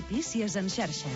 Notícies en xarxa.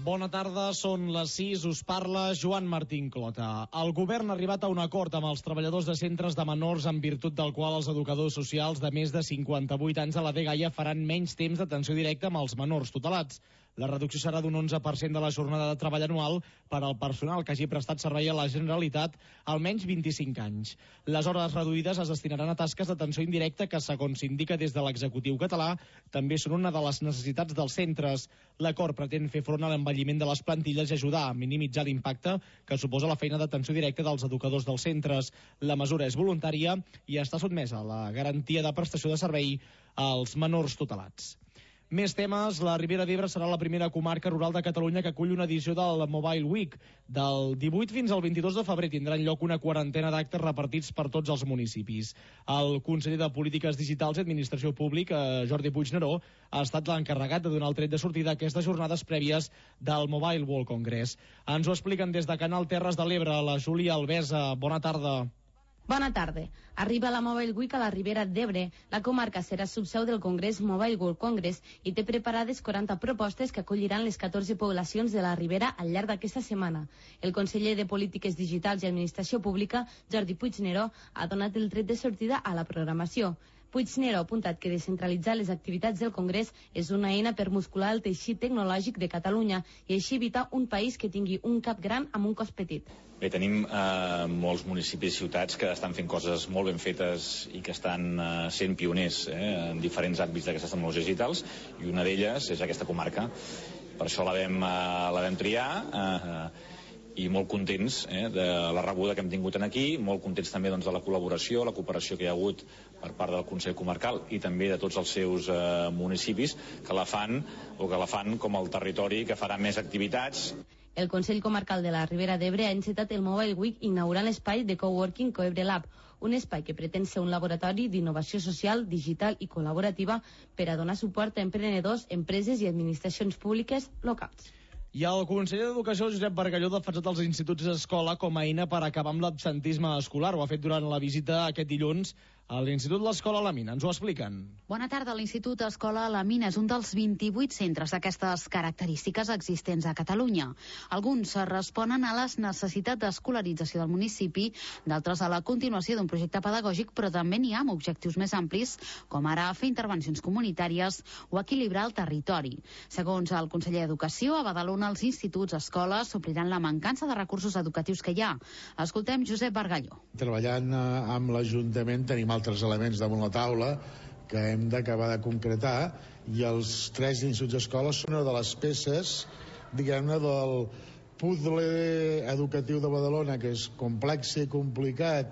Bona tarda, són les 6, us parla Joan Martín Clota. El govern ha arribat a un acord amb els treballadors de centres de menors en virtut del qual els educadors socials de més de 58 anys a la dgaia faran menys temps d'atenció directa amb els menors tutelats. La reducció serà d'un 11% de la jornada de treball anual per al personal que hagi prestat servei a la Generalitat almenys 25 anys. Les hores reduïdes es destinaran a tasques d'atenció indirecta que, segons s'indica des de l'executiu català, també són una de les necessitats dels centres. L'acord pretén fer front a l'envelliment de les plantilles i ajudar a minimitzar l'impacte que suposa la feina d'atenció directa dels educadors dels centres. La mesura és voluntària i està sotmesa a la garantia de prestació de servei als menors tutelats. Més temes, la Ribera d'Ebre serà la primera comarca rural de Catalunya que acull una edició del Mobile Week. Del 18 fins al 22 de febrer tindran lloc una quarantena d'actes repartits per tots els municipis. El conseller de Polítiques Digitals i Administració Pública, Jordi Puigneró, ha estat l'encarregat de donar el tret de sortida a aquestes jornades prèvies del Mobile World Congress. Ens ho expliquen des de Canal Terres de l'Ebre, la Júlia Albesa. Bona tarda. Bona tarda. Arriba la Mobile Week a la Ribera d'Ebre. La comarca serà subseu del Congrés Mobile World Congress i té preparades 40 propostes que acolliran les 14 poblacions de la Ribera al llarg d'aquesta setmana. El conseller de Polítiques Digitals i Administració Pública, Jordi Puigneró, ha donat el tret de sortida a la programació. Puigneró ha apuntat que descentralitzar les activitats del Congrés és una eina per muscular el teixit tecnològic de Catalunya i així evitar un país que tingui un cap gran amb un cos petit. Bé, tenim molts municipis i ciutats que estan fent coses molt ben fetes i que estan sent pioners en diferents àmbits d'aquestes tecnologies digitals, i una d'elles és aquesta comarca. Per això la vam triar, i molt contents de la rebuda que hem tingut aquí, molt contents també de la col·laboració, la cooperació que hi ha hagut per part del Consell Comarcal i també de tots els seus municipis que la fan com el territori que farà més activitats. El Consell Comarcal de la Ribera d'Ebre ha encetat el Mobile Week inaugurant l'espai de coworking Coebre Lab, un espai que pretén ser un laboratori d'innovació social, digital i col·laborativa per a donar suport a emprenedors, empreses i administracions públiques locals. I el conseller d'Educació, Josep Bargalló, ha defensat els instituts d'escola com a eina per acabar amb l'absentisme escolar. Ho ha fet durant la visita aquest dilluns a l'Institut L'Escola a la Mina. Ens ho expliquen. Bona tarda. L'Institut Escola a la Mina és un dels 28 centres d'aquestes característiques existents a Catalunya. Alguns responen a les necessitats d'escolarització del municipi, d'altres a la continuació d'un projecte pedagògic, però també n'hi ha amb objectius més amplis, com ara fer intervencions comunitàries o equilibrar el territori. Segons el conseller d'Educació, a Badalona els instituts escoles supliran la mancança de recursos educatius que hi ha. Escoltem Josep Bargalló. Treballant amb l'Ajuntament tenim altres elements damunt la taula que hem d'acabar de concretar, i els 3 instituts escoles són una de les peces, diguem-ne, del puzzle educatiu de Badalona, que és complex i complicat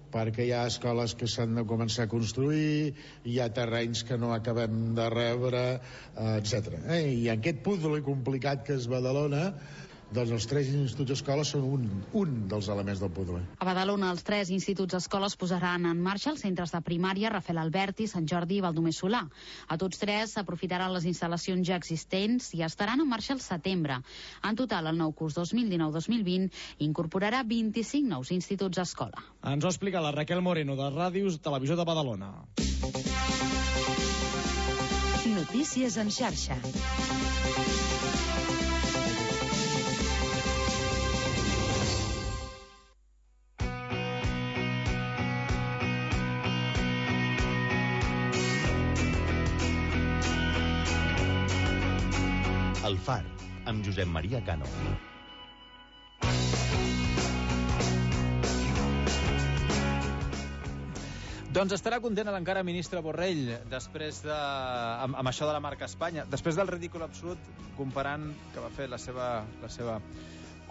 perquè hi ha escoles que s'han de començar a construir, hi ha terrenys que no acabem de rebre, etc. I aquest puzzle complicat que és Badalona, doncs els 3 instituts escoles són un dels elements del puzzle. A Badalona, els 3 instituts escoles posaran en marxa els centres de primària Rafael Alberti, Sant Jordi i Baldomer Solà. A tots 3 s'aprofitaran les instal·lacions ja existents i estaran en marxa al setembre. En total, el nou curs 2019-2020 incorporarà 25 nous instituts escola. Ens ho explica la Raquel Moreno, de Ràdio Televisió de Badalona. Notícies en xarxa. El Far, amb Josep Maria Cano. Doncs estarà content l'encara ministre Borrell després amb això de la marca Espanya, després del ridícul absolut que va fer la seva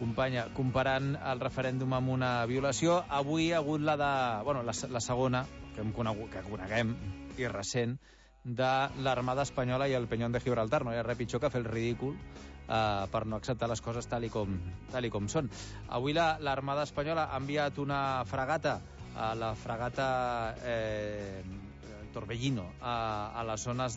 companya, comparant el referèndum amb una violació. Avui ha hagut la segona, que coneguem, i recent, de l'Armada Espanyola i el Peñón de Gibraltar. No hi ha res pitjor que fer el ridícul per no acceptar les coses tal i com són. Avui l'Armada Espanyola ha enviat una fragata, la fragata Torbellino, a la zona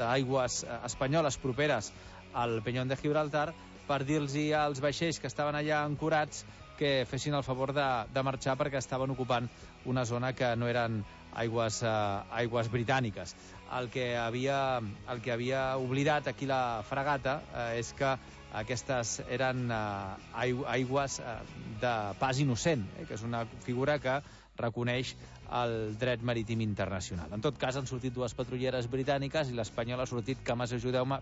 d'aigües espanyoles properes al Peñón de Gibraltar, per dir-los als vaixells que estaven allà ancorats que fessin el favor de marxar perquè estaven ocupant una zona que no eren aigües britàniques. El que havia oblidat aquí la fragata és que aquestes eren aigües de pas innocent, que és una figura que reconeix el dret marítim internacional. En tot cas, han sortit dues patrulleres britàniques i l'espanyola ha sortit Camas, ajudeu-me,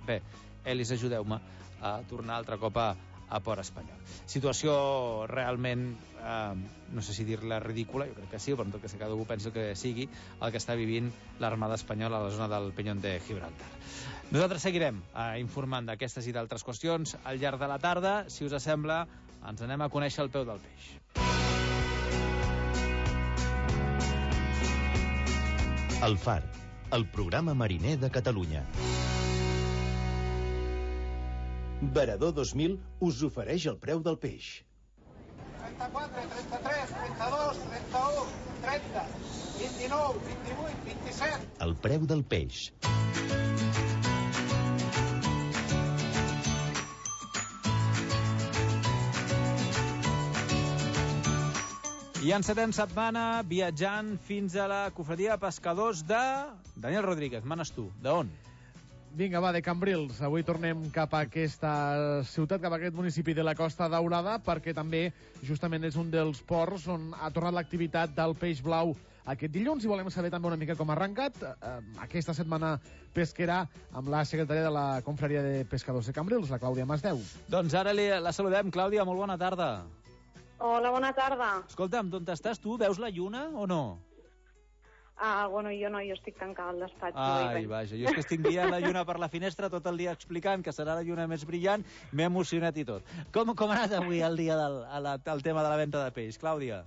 Elis, ajudeu-me a tornar altre cop a port espanyol. Situació realment, no sé si dir-la ridícula, jo crec que sí, però en tot cas cada algú pensa que sigui el que està vivint l'Armada Espanyola a la zona del Peñón de Gibraltar. Nosaltres seguirem informant d'aquestes i d'altres qüestions al llarg de la tarda. Si us sembla, ens anem a conèixer el peu del peix. El Far, el programa mariner de Catalunya. Varador 2000 us ofereix el preu del peix. 34, 33, 32, 31, 30, 29, 28, 27... El preu del peix. I encetem setmana viatjant fins a la cofradia de pescadors de... Daniel Rodríguez, manes tu. D'on? Vinga, va, de Cambrils. Avui tornem cap a aquesta ciutat, cap a aquest municipi de la Costa Daurada, perquè també justament és un dels ports on ha tornat l'activitat del peix blau aquest dilluns, i volem saber també una mica com ha arrencat aquesta setmana pesquera amb la secretària de la Confraria de Pescadors de Cambrils, la Clàudia Masdeu. Doncs ara la saludem. Clàudia, molt bona tarda. Hola, bona tarda. Escolta'm, d'on estàs tu? Veus la lluna o no? Bueno, jo no, jo estic tancada al despatx. Ai, vaja, jo és que estic veient la lluna per la finestra tot el dia explicant que serà la lluna més brillant, m'he emocionat i tot. Com ha anat avui el dia del tema de la venda de peix, Clàudia?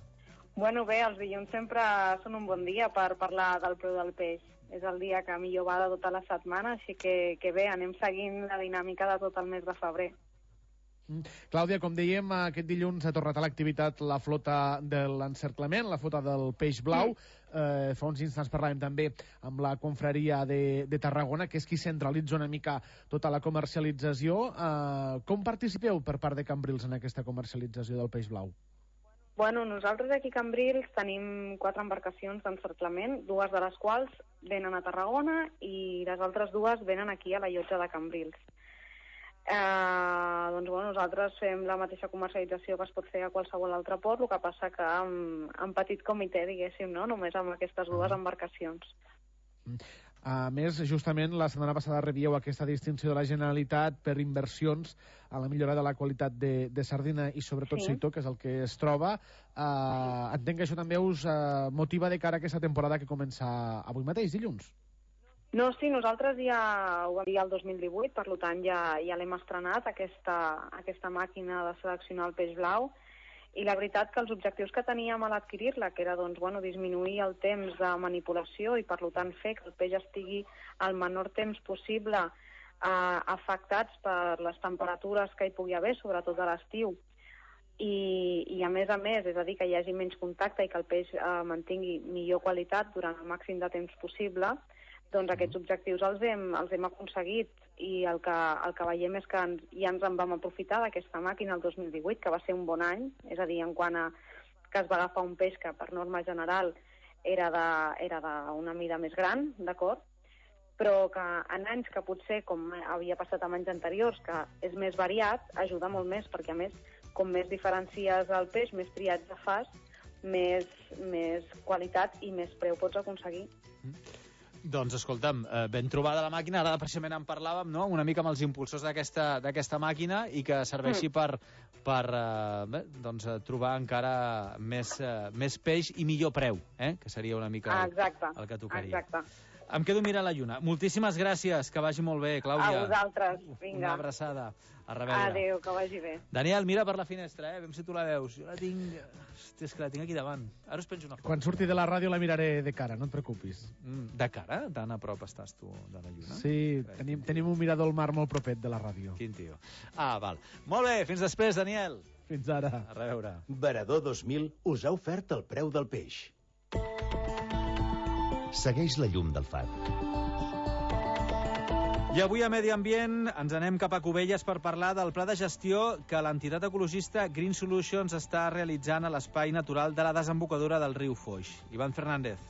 Bueno, bé, els dilluns sempre són un bon dia per parlar del preu del peix. És el dia que millor va de tota la setmana, així que bé, anem seguint la dinàmica de tot el mes de febrer. Clàudia, com dèiem, aquest dilluns ha tornat a l'activitat la flota de l'encerclament, la flota del peix blau. Fa uns instants parlàvem també amb la confraria de Tarragona, que és qui centralitza una mica tota la comercialització. Com participeu per part de Cambrils en aquesta comercialització del peix blau? Bueno, nosaltres aquí a Cambrils tenim 4 embarcacions d'encerclament, 2 de les quals venen a Tarragona i les altres 2 venen aquí a la llotja de Cambrils. Doncs bueno, nosaltres fem la mateixa comercialització que es pot fer a qualsevol altre port, el que passa que en petit comitè, diguéssim, no? Només amb aquestes 2 embarcacions. A més, justament la setmana passada rebíeu aquesta distinció de la Generalitat per inversions a la millora de la qualitat de sardina i sobretot seitó, que és el que es troba. Entenc que això també us motiva de cara a aquesta temporada que comença avui mateix, dilluns. No, sí, nosaltres ja ho vam dir el 2018, per tant ja l'hem estrenat, aquesta màquina de seleccionar el peix blau, i la veritat que els objectius que teníem a l'adquirir-la, que era disminuir el temps de manipulació i per tant fer que el peix estigui el menor temps possible afectats per les temperatures que hi pugui haver, sobretot a l'estiu, i a més, és a dir, que hi hagi menys contacte i que el peix mantingui millor qualitat durant el màxim de temps possible, doncs aquests objectius els hem aconseguit, i el que veiem és que ja ens en vam aprofitar d'aquesta màquina el 2018, que va ser un bon any, és a dir, en quant a que es va agafar un peix que per norma general era d'una mida més gran, d'acord? Però que en anys que potser, com havia passat en anys anteriors, que és més variat, ajuda molt més, perquè a més, com més diferencies el peix, més triatge fas, més qualitat i més preu pots aconseguir. Doncs, escolta'm, ben trobada la màquina, ara precisament en parlàvem, no?, una mica amb els impulsors d'aquesta màquina i que serveixi per trobar encara més peix i millor preu, que seria una mica el que tocaria. Exacte. Em quedo mirant la lluna. Moltíssimes gràcies, que vagi molt bé, Clàudia. A vosaltres, vinga. Una abraçada. A reveure. Adéu, que vagi bé. Daniel, mira per la finestra, veiem si tu la veus. Jo la tinc... Hòstia, és que la tinc aquí davant. Ara us penjo una foto. Quan surti de la ràdio la miraré de cara, no et preocupis. De cara? Tan a prop estàs tu de la lluna? Sí, tenim un mirador al mar molt propet de la ràdio. Quin tio. Val. Molt bé, fins després, Daniel. Fins ara. A reveure. Varador 2000 us ha ofert el preu del peix. Segueix la llum del far. I avui a Medi Ambient ens anem cap a Cubelles per parlar del pla de gestió que l'entitat ecologista Green Solutions està realitzant a l'espai natural de la desembocadura del riu Foix. Ivan Fernández.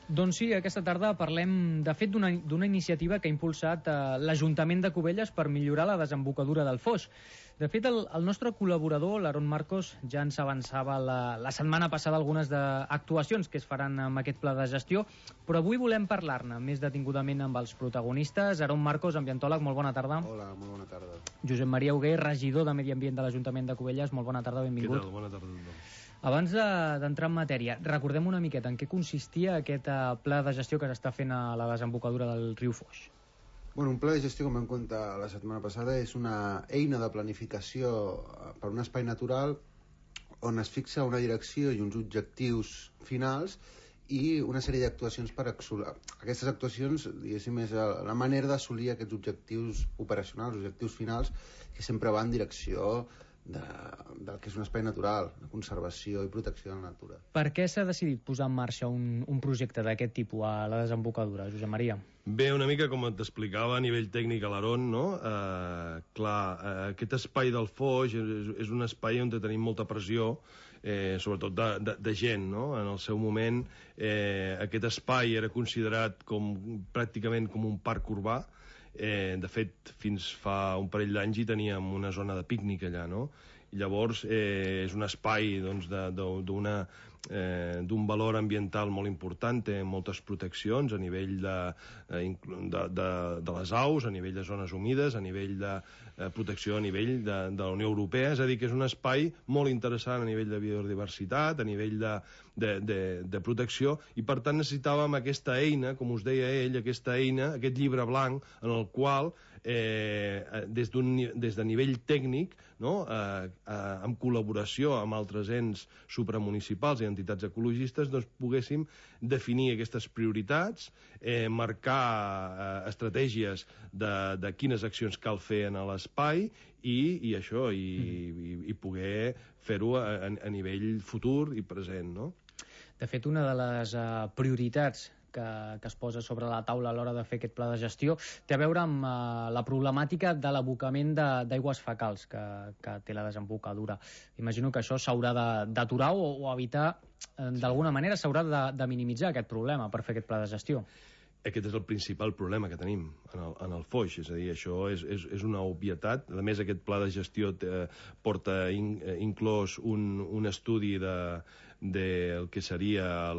Doncs sí, aquesta tarda parlem, de fet, d'una iniciativa que ha impulsat l'Ajuntament de Cubelles per millorar la desembocadura del Foix. De fet, el nostre col·laborador, l'Aaron Marcos, ja ens avançava la setmana passada algunes actuacions que es faran amb aquest pla de gestió, però avui volem parlar-ne més detingudament amb els protagonistes. Aaron Marcos, ambientòleg, molt bona tarda. Hola, molt bona tarda. Josep Maria Hugué, regidor de Medi Ambient de l'Ajuntament de Cubelles, molt bona tarda, benvingut. Què tal? Bona tarda a tothom. Abans d'entrar en matèria, recordem una miqueta en què consistia aquest pla de gestió que s'està fent a la desembocadura del riu Foix. Bueno, un pla de gestió, com vam contar la setmana passada, és una eina de planificació per un espai natural on es fixa una direcció i uns objectius finals i una sèrie d'actuacions per assolir. Aquestes actuacions, diguéssim, és la manera d'assolir aquests objectius operacionals, objectius finals, que sempre van en direcció del que és un espai natural, de conservació i protecció de la natura. Per què s'ha decidit posar en marxa un projecte d'aquest tipus a la desembocadura, Josep Maria? Bé, una mica com t'explicava a nivell tècnic a l'Aaron, no? Aquest espai del Foix és un espai on tenim molta pressió, sobretot de gent, no? En el seu moment aquest espai era considerat pràcticament com un parc urbà. De fet, fins fa un parell d'anys hi teníem una zona de pícnic allà, no? I llavors és un espai d'un valor ambiental molt important, té moltes proteccions a nivell de les aus, a nivell de zones humides, a nivell de protecció a nivell de la Unió Europea, és a dir, que és un espai molt interessant a nivell de biodiversitat, a nivell de protecció, i per tant necessitàvem aquesta eina, com us deia ell, aquesta eina, aquest llibre blanc, en el qual des de nivell tècnic, no? En col·laboració amb altres ens supramunicipals i entitats ecologistes, doncs poguéssim definir aquestes prioritats, marcar estratègies de quines accions cal fer en l'espai i poder fer-ho a nivell futur i present, no? De fet, una de les prioritats que es posa sobre la taula a l'hora de fer aquest pla de gestió té a veure amb la problemàtica de l'abocament d'aigües fecals que té la desembocadura. Imagino que això s'haurà d'aturar o evitar, d'alguna manera s'haurà de minimitzar aquest problema per fer aquest pla de gestió. Aquest és el principal problema que tenim en el Foix, és a dir, això és una obvietat. A més, aquest pla de gestió porta inclòs un estudi del que seria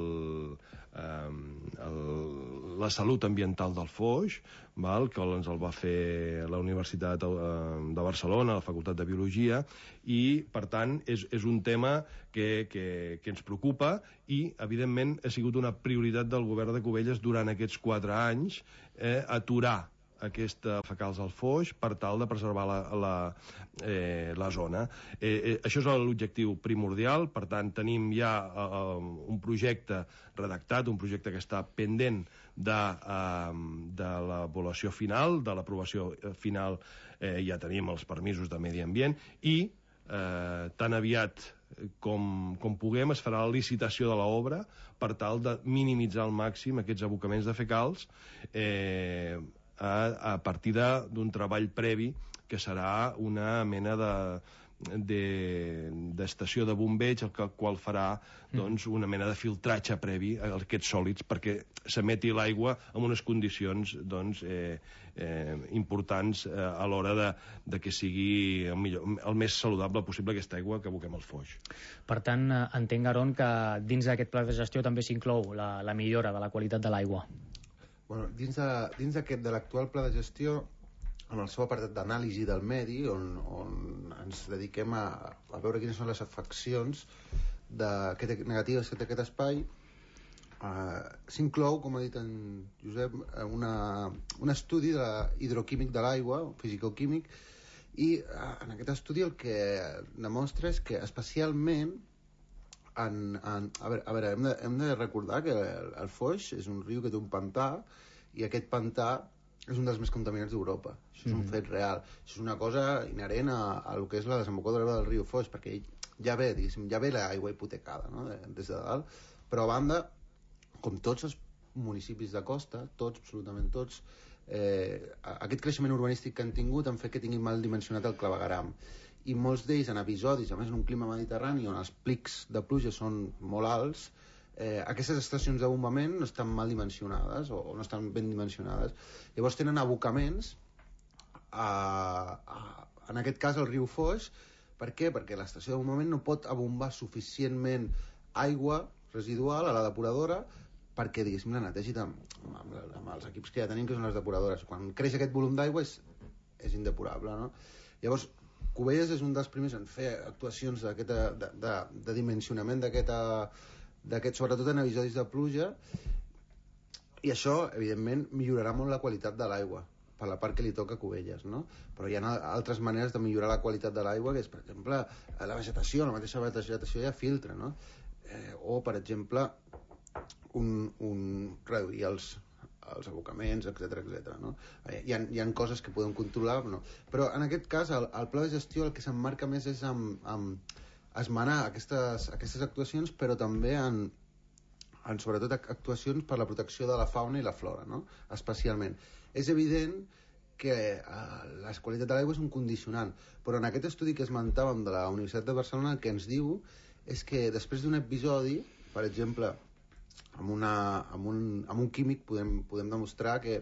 la salut ambiental del Foix, que ens el va fer la Universitat de Barcelona, la Facultat de Biologia, i, per tant, és un tema que ens preocupa i, evidentment, ha sigut una prioritat del govern de Cubelles durant aquests 4 anys aturar aquesta fecals al Foix per tal de preservar la zona. Això és l'objectiu primordial, per tant tenim ja un projecte redactat, un projecte que està pendent de l'avaluació final, de l'aprovació final, ja tenim els permisos de medi ambient i tan aviat com puguem es farà la licitació de l'obra per tal de minimitzar al màxim aquests abocaments de fecals a partir d'un treball previ que serà una mena d'estació de bombeig, el qual farà una mena de filtratge previ a aquests sòlids perquè s'emeti l'aigua en unes condicions importants a l'hora de que sigui el més saludable possible aquesta aigua que aboquem al Foix. Per tant, entenc, Aaron, que dins d'aquest pla de gestió també s'inclou la millora de la qualitat de l'aigua. Bueno, dins de l'actual pla de gestió, en el seu apartat d'anàlisi del medi, on ens dediquem a veure quines són les afeccions negatives que té aquest espai, s'inclou, com ha dit en Josep, un estudi hidroquímic de l'aigua, fisicoquímic, i en aquest estudi el que demostra és que especialment a veure, hem de recordar que el Foix és un riu que té un pantà i aquest pantà és un dels més contaminats d'Europa. Això és un fet real. Això és una cosa inherent a lo que és la desembocadura del riu Foix, perquè ja ve l'aigua hipotecada, no? Des de dalt, però a banda, com tots els municipis de costa, tots, absolutament tots, aquest creixement urbanístic que han tingut han fet que tinguin mal dimensionat el clavegueram. I molts d'ells en episodis, a més en un clima mediterrani on els plics de pluja són molt alts, aquestes estacions de bombament no estan mal dimensionades o no estan ben dimensionades. Llavors tenen abocaments en aquest cas el riu Foix. Per què? Perquè l'estació de bombament no pot abombar suficientment aigua residual a la depuradora perquè, diguéssim, la netegi amb els equips que ja tenim, que són les depuradores. Quan creix aquest volum d'aigua és indepurable, no? Llavors, Cubelles és un dels primers en fer actuacions de dimensionament d'aquest, sobretot en episodis de pluja, i això, evidentment, millorarà molt la qualitat de l'aigua per la part que li toca a Cubelles, no? Però hi ha altres maneres de millorar la qualitat de l'aigua, que és, per exemple, la vegetació, la mateixa vegetació ja filtra, no? O, per exemple, reduir els abocaments, etc. No? Hi ha coses que podem controlar, no? Però en aquest cas el pla de gestió el que s'emmarca més és amb esmenar aquestes actuacions, però també en sobretot actuacions per la protecció de la fauna i la flora, no? Especialment. És evident que la qualitat de l'aigua és un condicionant, però en aquest estudi que esmentàvem de la Universitat de Barcelona el que ens diu és que després d'un episodi, per exemple, amb un químic podem demostrar que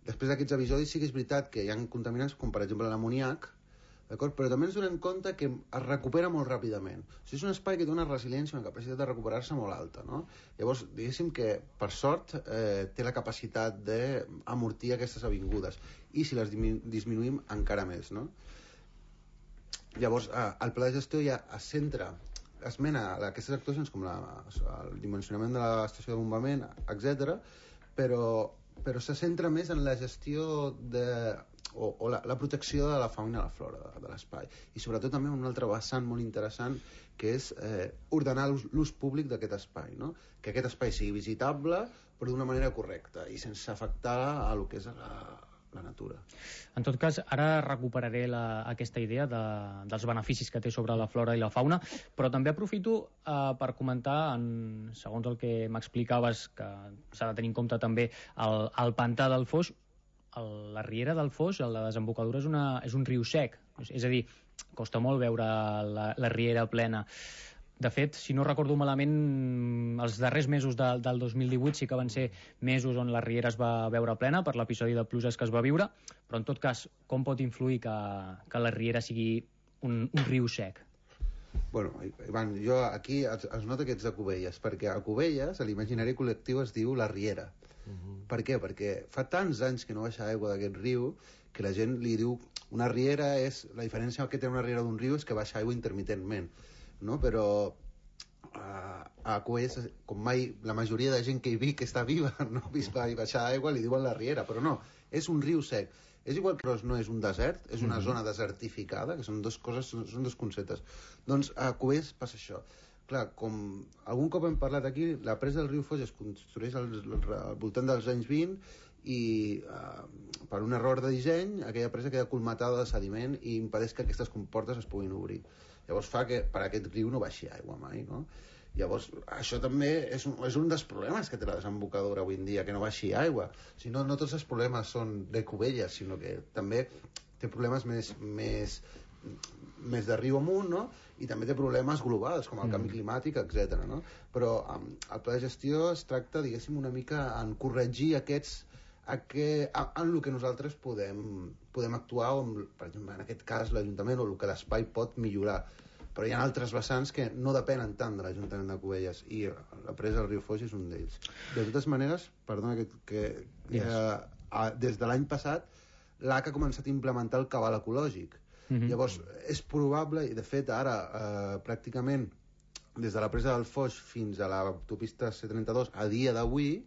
després d'aquests episodis sí que és veritat que hi ha contaminants com per exemple l'amoníac, d'acord? Però també ens donem compte que es recupera molt ràpidament. O sigui, és un espai que té una resiliència, una capacitat de recuperar-se molt alta, no? Llavors, diguéssim que, per sort, té la capacitat d'amortir aquestes avingudes, i si les disminuïm encara més, no? Llavors, el pla de gestió ja es centra, esmena aquestes actuacions com el dimensionament de l'estació de bombament, etc., però se centra més en la gestió o la protecció de la fauna i la flora de l'espai, i sobretot també un altre vessant molt interessant que és ordenar l'ús públic d'aquest espai, no? Que aquest espai sigui visitable però d'una manera correcta i sense afectar a lo que és la natura. En tot cas, ara recuperaré aquesta idea dels beneficis que té sobre la flora i la fauna, però també aprofito per comentar, segons el que m'explicaves, que s'ha de tenir en compte també el pantà del Foix. La riera del Foix, la desembocadura, és un riu sec, és a dir, costa molt veure la riera plena. De fet, si no recordo malament, els darrers mesos del 2018 sí que van ser mesos on la riera es va veure plena per l'episodi de pluges que es va viure, però en tot cas, com pot influir que la riera sigui un riu sec? Bueno, Ivan, jo aquí es nota que ets de Cubelles, perquè a Cubelles, a l'imaginari col·lectiu es diu la riera. Per què? Perquè fa tants anys que no baixa aigua d'aquest riu que la gent li diu una riera la diferència que té una riera d'un riu és que baixa aigua intermitentment, no? Però a Cubelles, com mai la majoria de gent que hi viu, que està viva, no ha vist baixar aigua, li diuen la riera, però no, és un riu sec. És igual que no és un desert, és una zona desertificada, que són dues coses, són dos conceptes. Doncs a Cubelles passa això. Clar, com algun cop hem parlat aquí, la presa del riu Foix es construeix al voltant dels anys 20 i per un error de disseny aquella presa queda colmatada de sediment i impedeix que aquestes comportes es puguin obrir. Llavors fa que per aquest riu no baixi aigua mai, no? Llavors, això també és un dels problemes que té la desembocadura avui en dia, que no baixi aigua. Si no, no tots els problemes són de Cubelles, sinó que també té problemes més de riu amunt, no? I també té problemes globals, com el canvi climàtic, etc. No? Però el pla de gestió es tracta, diguéssim, una mica en corregir en el que nosaltres podem actuar, per exemple, en aquest cas l'Ajuntament, o el que l'espai pot millorar. Però hi ha altres vessants que no depenen tant de l'Ajuntament de Cubelles, i la presa del riu Foix és un d'ells. De totes maneres, perdona des de l'any passat l'AC ha començat a implementar el cabal ecològic. Llavors, és probable, i de fet ara pràcticament des de la presa del Foix fins a l'autopista C32 a dia d'avui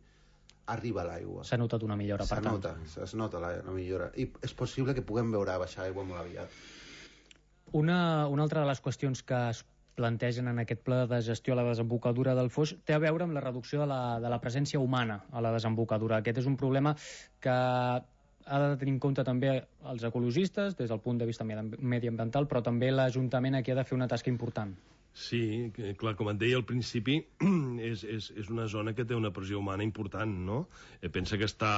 arriba l'aigua. S'ha notat una millora, per tant. Es nota la millora, i és possible que puguem veure baixar aigua molt aviat. Una altra de les qüestions que es plantegen en aquest pla de gestió a la desembocadura del Foix té a veure amb la reducció de la presència humana a la desembocadura. Aquest és un problema que ha de tenir en compte també els ecologistes des del punt de vista mediambiental, però també l'Ajuntament aquí ha de fer una tasca important. Sí, clar, com et deia al principi, és una zona que té una pressió humana important, no? Pensa que està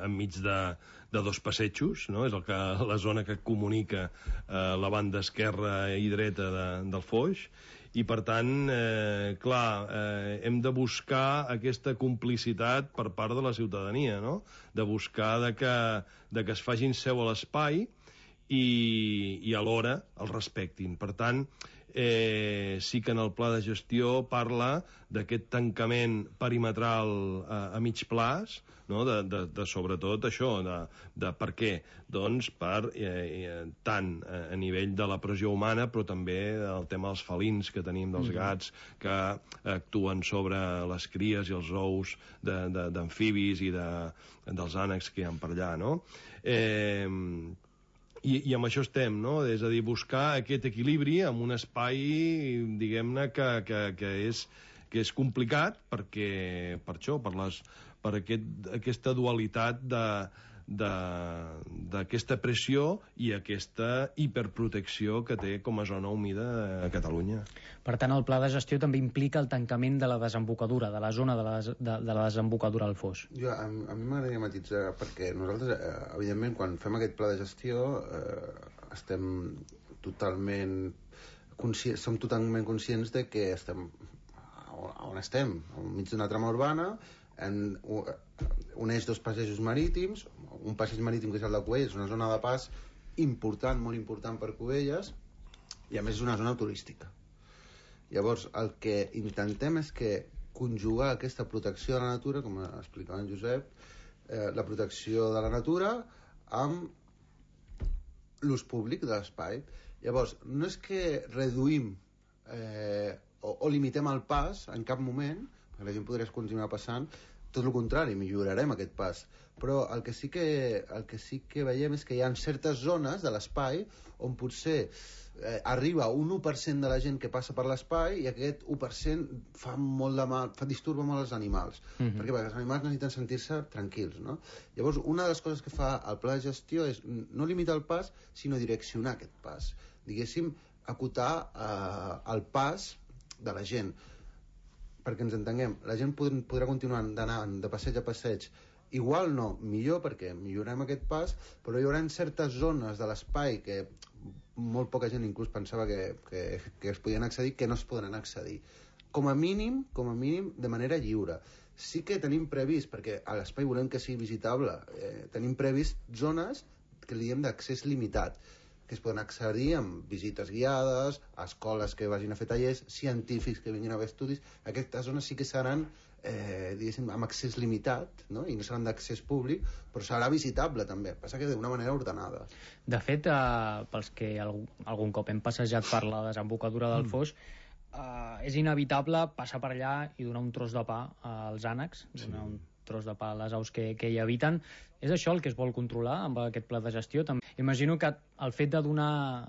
enmig de dos passejos, no? És la zona que comunica la banda esquerra i dreta del Foix, i per tant, hem de buscar aquesta complicitat per part de la ciutadania, no? De buscar que es facin seu a l'espai i alhora el respectin. Per tant, sí que en el pla de gestió parla d'aquest tancament perimetral a mig plaç, no? de sobretot això, de per què? Doncs per tant a nivell de la pressió humana, però també el tema dels felins que tenim, dels gats que actuen sobre les cries i els ous d'amfibis i dels ànecs que hi ha per allà, no? I amb això estem, no? És a dir, buscar aquest equilibri en un espai, diguem-ne, que és complicat per això, per aquesta dualitat d'aquesta pressió i aquesta hiperprotecció que té com a zona humida a Catalunya. Per tant, el pla de gestió també implica el tancament de la desembocadura, de la zona de la desembocadura al Foix. A mi m'agradaria matitzar, perquè nosaltres, evidentment, quan fem aquest pla de gestió, estem totalment conscients de que estem on estem, enmig d'una trama urbana, uneix dos passejos marítims, un passeig marítim que és el de Cubelles, una zona de pas important, molt important per Cubelles, i a més és una zona turística. Llavors, el que intentem és que conjugar aquesta protecció de la natura, com explicava en Josep, la protecció de la natura amb l'ús públic de l'espai. Llavors, no és que reduïm o limitem el pas en cap moment, perquè la gent podria continuar passant, tot el contrari, millorarem aquest pas. Però el que sí que veiem és que hi ha certes zones de l'espai on potser arriba un 1% de la gent que passa per l'espai i aquest 1% fa molt de mal, disturba molt els animals. Perquè els animals necessiten sentir-se tranquils, no? Llavors, una de les coses que fa el pla de gestió és no limitar el pas, sinó direccionar aquest pas. Diguéssim, acotar el pas de la gent. Perquè ens entenguem, la gent podrà continuar anant de passeig a passeig, igual no, millor perquè millorem aquest pas, però hi haurà certes zones de l'espai que molt poca gent inclús pensava que es podien accedir, que no es podran accedir. Com a mínim, de manera lliure. Sí que tenim previst, perquè a l'espai volem que sigui visitable, tenim previst zones que li diem d'accés limitat, que es poden accedir amb visites guiades, a escoles que vagin a fer tallers, científics que vinguin a fer estudis. Aquestes zones sí que seran, diguéssim, amb accés limitat, no? I no seran d'accés públic, però serà visitable també, passa que d'una manera ordenada. De fet, pels que algun cop hem passejat per la desembocadura del Foix, és inevitable passar per allà i donar un tros de pa als ànecs, donar un tros de pa a les aus que hi habiten. És això el que es vol controlar amb aquest pla de gestió? També imagino que el fet de donar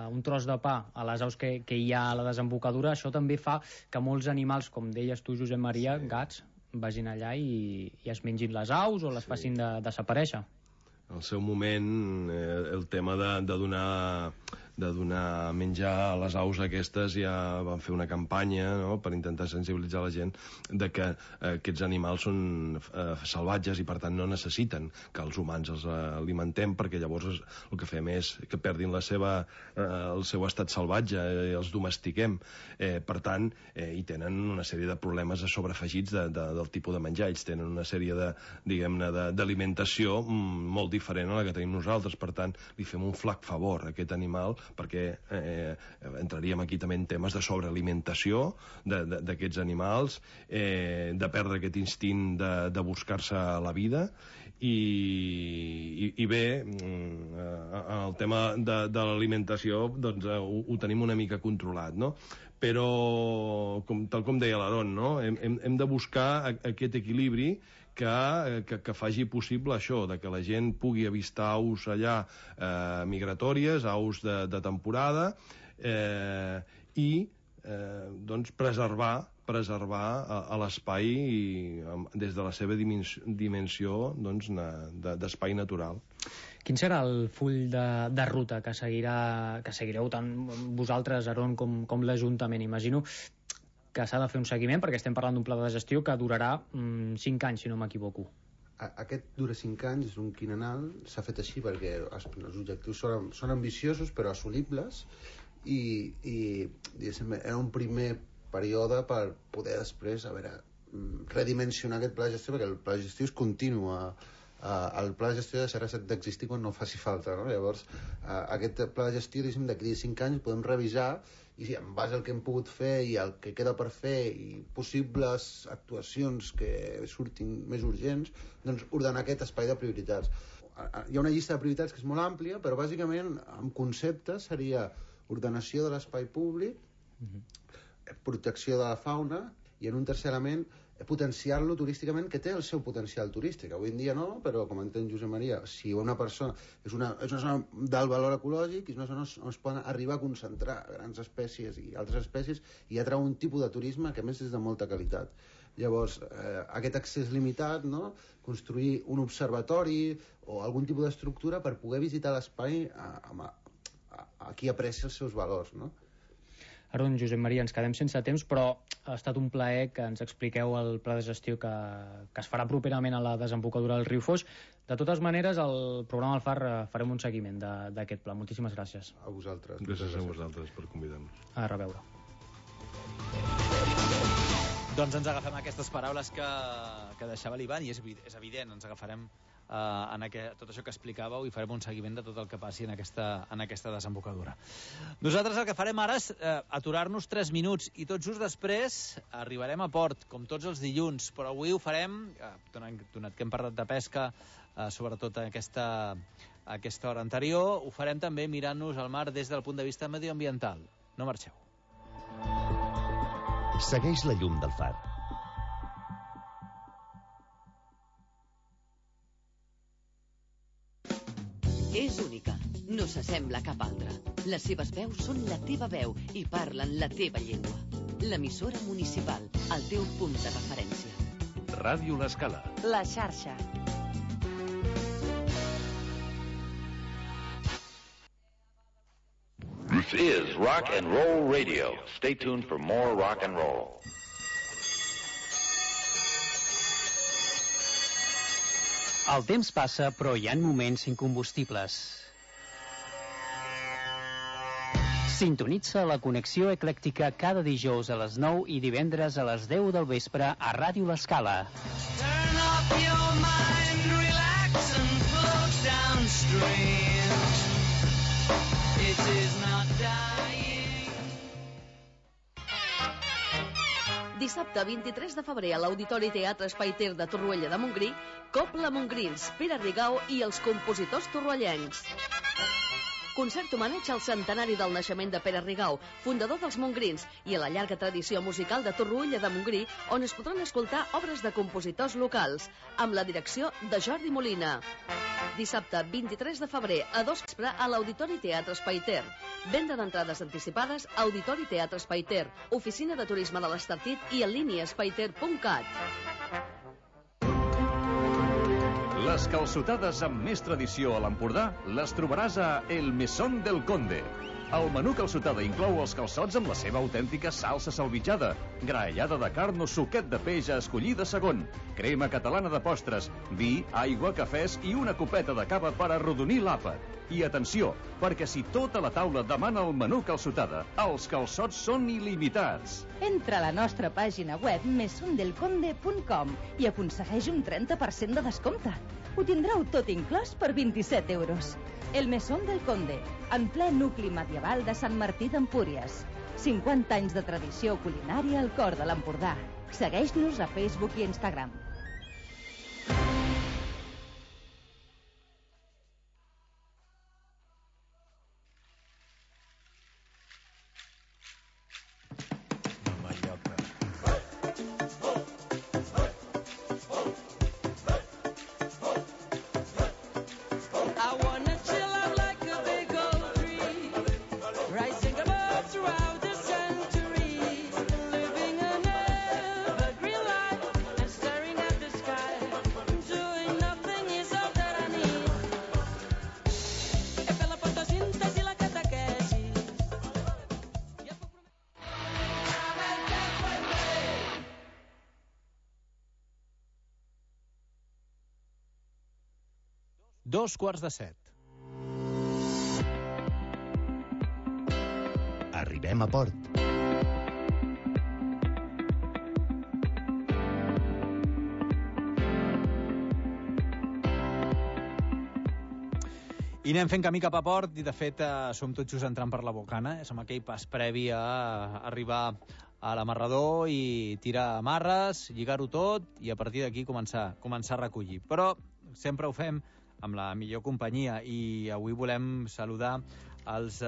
un tros de pa a les aus que hi ha a la desembocadura, això també fa que molts animals, com deies tu, Josep Maria, gats, vagin allà i es mengin les aus o les facin desaparèixer. Al seu moment, el tema de donar menjar a les aus aquestes, ja van fer una campanya, no?, per intentar sensibilitzar la gent de que aquests animals són salvatges i per tant no necessiten que els humans els alimentem, perquè llavors el que fem és que perdin el seu estat salvatge i els domestiquem. Per tant, hi tenen una sèrie de problemes sobreafegits del tipus de menjar. Ells tenen una sèrie d'alimentació molt diferent a la que tenim nosaltres. Per tant, li fem un flac favor a aquest animal, perquè entraríem aquí també en temes de sobrealimentació d'aquests animals, de perdre aquest instint de buscar-se la vida, i bé, el tema de l'alimentació doncs ho tenim una mica controlat, no? Però, tal com deia l'Aaron, no?, hem de buscar aquest equilibri que faci possible això, de que la gent pugui avistar aus allà migratòries, aus de temporada, i doncs preservar a l'espai des de la seva dimensió d'espai natural. Quin serà el full de ruta que seguireu tant vosaltres, Aaron, com l'Ajuntament? Imagino que s'ha de fer un seguiment, perquè estem parlant d'un pla de gestió que durarà 5 anys, si no m'equivoco. Aquest dura 5 anys, és un quinquennal, s'ha fet així perquè els objectius són ambiciosos però assolibles, i era un primer període per poder després redimensionar aquest pla de gestió, perquè el pla de gestió és continu. El pla de gestió deixarà d'existir quan no faci falta, no? Llavors aquest pla de gestió, d'aquí a 5 anys podem revisar i en base al que hem pogut fer i el que queda per fer i possibles actuacions que surtin més urgents, doncs ordenar aquest espai de prioritats. Hi ha una llista de prioritats que és molt àmplia, però bàsicament en conceptes seria ordenació de l'espai públic, protecció de la fauna i en un tercer element potenciar-lo turísticament, que té el seu potencial turístic. Avui en dia no, però com entén Josep Maria, si una persona és una zona d'alt valor ecològic, és una zona on es poden arribar a concentrar grans espècies i altres espècies i atrau un tipus de turisme que a més és de molta qualitat. Llavors, aquest accés limitat, no? Construir un observatori o algun tipus d'estructura per poder visitar l'espai a qui aprecia els seus valors, no? Ara, Josep Maria, ens quedem sense temps, però ha estat un plaer que ens expliqueu el pla de gestió que es farà properament a la desembocadura del riu Foix. De totes maneres, al programa del FAR farem un seguiment d'aquest pla. Moltíssimes gràcies. A vosaltres. Gràcies a vosaltres per convidar-nos. A reveure. Doncs ens agafem aquestes paraules que deixava l'Ivan i és evident, ens agafarem tot això que explicàveu i farem un seguiment de tot el que passi en aquesta desembocadura. Nosaltres el que farem ara és aturar-nos 3 minuts i tot just després arribarem a port, com tots els dilluns, però avui ho farem, donat que hem parlat de pesca, sobretot a aquesta hora anterior, ho farem també mirant-nos al mar des del punt de vista medioambiental. No marxeu. Segueix la llum del far. És única, no s'assembla a cap altra. Les seves veus són la teva veu i parlen la teva llengua. L'emissora municipal, el teu punt de referència. Ràdio L'Escala. La xarxa. This is Rock and Roll Radio. Stay tuned for more rock and roll. El temps passa, però hi ha moments incombustibles. Sintonitza la connexió eclèctica cada dijous a les 9 i divendres a les 10 del vespre a Ràdio L'Escala. Turn off your mind, relax and float downstream. It is not dying. Dissabte 23 de febrer a l'Auditori Teatre Espai Ter de Torroella de Montgrí, Copla Montgrins, Pere Rigau i els compositors torroellencs. Concert homenatge al centenari del naixement de Pere Rigau, fundador dels Montgrins, i a la llarga tradició musical de Torroella de Montgrí, on es podran escoltar obres de compositors locals, amb la direcció de Jordi Molina. Dissabte 23 de febrer a 2 vespre a l'Auditori Teatre Espai Ter. Venda d'entrades anticipades a Auditori Teatre Espai Ter, Oficina de Turisme de l'Estartit i en línia espaiter.cat. Les calçotades amb més tradició a l'Empordà les trobaràs a El Mesón del Conde. El menú calçotada inclou els calçots amb la seva autèntica salsa salvitjada, graellada de carn o suquet de peix a escollir de segon, crema catalana de postres, vi, aigua, cafès i una copeta de cava per arrodonir l'àpat. I atenció, perquè si tota la taula demana el menú calçotada, els calçots són il·limitats. Entra a la nostra pàgina web mesondelconde.com i aconsegueix un 30% de descompte. Ho tindreu tot inclòs per 27 euros. El Mesón del Conde, en ple nucli medieval de Sant Martí d'Empúries. 50 anys de tradició culinària al cor de l'Empordà. Segueix-nos a Facebook i Instagram. Dos quarts de 7. Arribem a port. I anem fent camí cap a port i, de fet, som tot just entrant per la Bocana. Som aquell pas previ a arribar a l'amarrador i tirar amarres, lligar-ho tot i a partir d'aquí començar a recollir. Però sempre ho fem amb la millor companyia i avui volem saludar els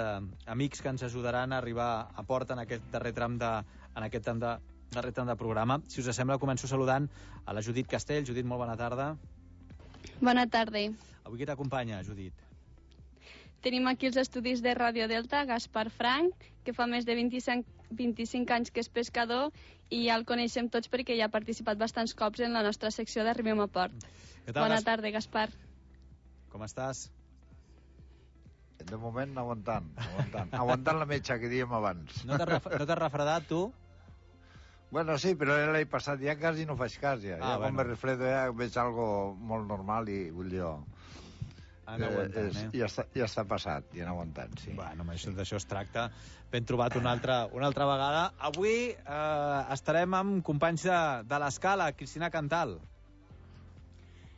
amics que ens ajudaran a arribar a port en aquest darrer tram de programa. Si us sembla, començo saludant a la Judit Castell. Judit, molt bona tarda. Bona tarda. Avui qui t'acompanya, Judit? Tenim aquí els estudis de Radio Delta, Gaspar Frank, que fa més de 25 anys que és pescador i ja el coneixem tots perquè ja ha participat bastants cops en la nostra secció d'Arribem a Port. Bona tarda, Gaspar. Com estàs? De moment aguantant. Aguantant la metxa que dèiem abans. No t'has refredat, tu? Bueno, sí, però l'any passat ja quasi no faig cas, ja. Quan me refredo ja veig algo molt normal i vull dir... Ja està passat, ja han aguantat, sí. Bueno, d'això es tracta. Ben trobat una altra vegada. Avui estarem amb companys de l'Escala, Cristina Cantal.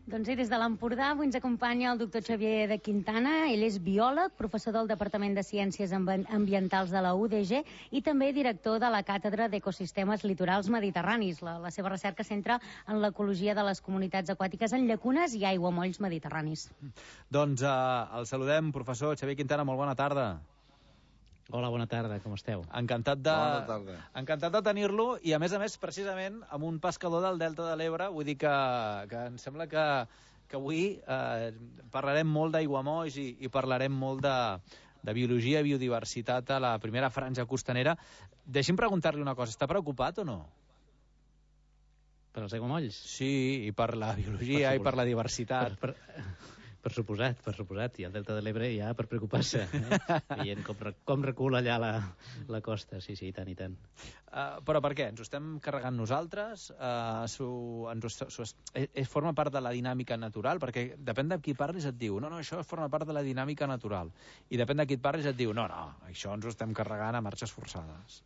Doncs sí, des de l'Empordà avui ens acompanya el doctor Xavier de Quintana. Ell és biòleg, professor del Departament de Ciències Ambientals de la UDG i també director de la Càtedra d'Ecosistemes Litorals Mediterranis. La seva recerca centra en l'ecologia de les comunitats aquàtiques en llacunes i aiguamolls mediterranis. Doncs el saludem, professor Xavier Quintana, molt bona tarda. Hola, bona tarda, com esteu? Encantat de tenir-lo i, a més, precisament, amb un pescador del Delta de l'Ebre. Vull dir que em sembla que avui parlarem molt d'aiguamolls i parlarem molt de biologia i biodiversitat a la primera franja costanera. Deixi'm preguntar-li una cosa, està preocupat o no? Per els aiguamolls? Sí, i per la biologia i per la diversitat. Per suposat, i el Delta de l'Ebre ja per preocupar-se, veient com recula allà la costa, sí, i tant. Però per què? Ens ho estem carregant nosaltres? Forma part de la dinàmica natural? Perquè depèn de qui parlis et diu, no, això forma part de la dinàmica natural. I depèn de qui et parlis et diu, no, això ens ho estem carregant a marxes forçades.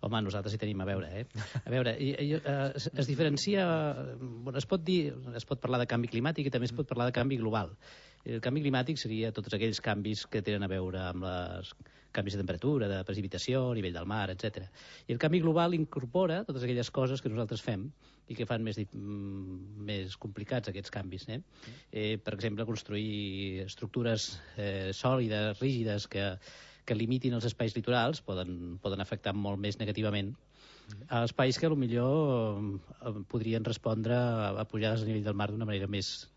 Home, nosaltres hi tenim a veure, A veure, es diferencia... Es pot parlar de canvi climàtic i també es pot parlar de canvi global. El canvi climàtic seria tots aquells canvis que tenen a veure amb els canvis de temperatura, de precipitació, nivell del mar, etc. I el canvi global incorpora totes aquelles coses que nosaltres fem i que fan més complicats aquests canvis. Per exemple, construir estructures sòlides, rígides, que limitin els espais litorals poden afectar molt més negativament a espais que potser podrien respondre a pujades a nivell del mar d'una manera més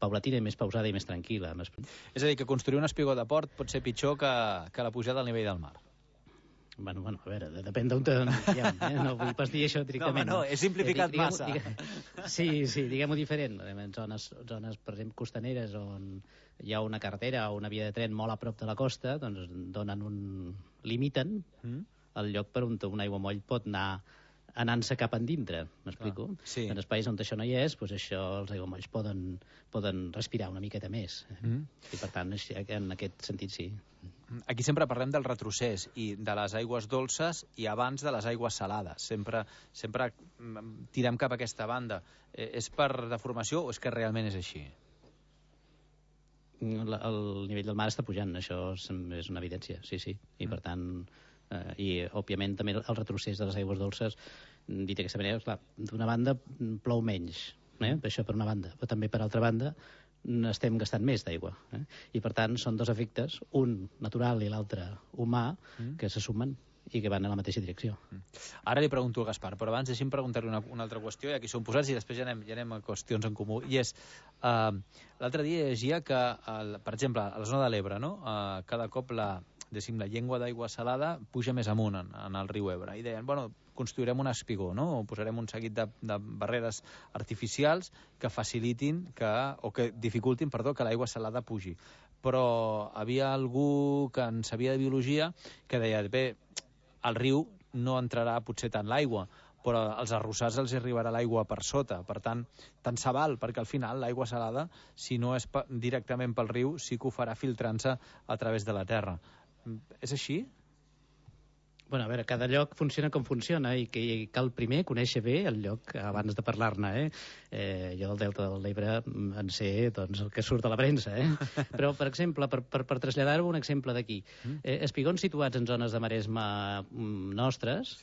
paulatina, més pausada i més tranquil·la. És a dir, que construir un espigó de port pot ser pitjor que la pujada al nivell del mar. Bueno, a veure, depèn d'on no vull pas dir això directament. No, he simplificat massa. Sí, diguem-ho diferent. En zones, per exemple, costaneres on hi ha una carretera o una via de tren molt a prop de la costa, doncs limiten el lloc per on un aiguamoll pot anar anant-se cap endintre, m'explico? Sí. En espais on això no hi és, doncs els aiguamolls poden respirar una miqueta més. I per tant, en aquest sentit, sí. Aquí sempre parlem del retrocés i de les aigües dolces i abans de les aigües salades. Sempre tirem cap a aquesta banda. És per deformació o és que realment és així? El nivell del mar està pujant, això és una evidència, sí. I per tant, òbviament també el retrocés de les aigües dolces, dit d'aquesta manera, clar, d'una banda plou menys, això per una banda, però també per altra banda estem gastant més d'aigua. I per tant són dos efectes, un natural i l'altre humà, que se sumen i que van en la mateixa direcció. Ara li pregunto a Gaspar, però abans deixi'm preguntar-li una altra qüestió, i aquí som posats i després ja anem a qüestions en comú. I és, l'altre dia llegia que, per exemple, a la zona de l'Ebre, cada cop la llengua d'aigua salada puja més amunt en el riu Ebre. I deien, construirem un espigó, o posarem un seguit de barreres artificials que facilitin o que dificultin, que l'aigua salada pugi. Però havia algú que en sabia de biologia que deia, bé, al riu no entrarà potser tant l'aigua, però als arrossars els arribarà l'aigua per sota. Per tant se val, perquè al final l'aigua salada, si no és directament pel riu, sí que ho farà filtrant-se a través de la terra. És així? Bueno, a veure, cada lloc funciona com funciona i que cal primer conèixer bé el lloc abans de parlar-ne, jo del Delta de l'Ebre en sé doncs, el que surt a la premsa, Però, per exemple, per traslladar-ho un exemple d'aquí, espigons situats en zones de maresma nostres,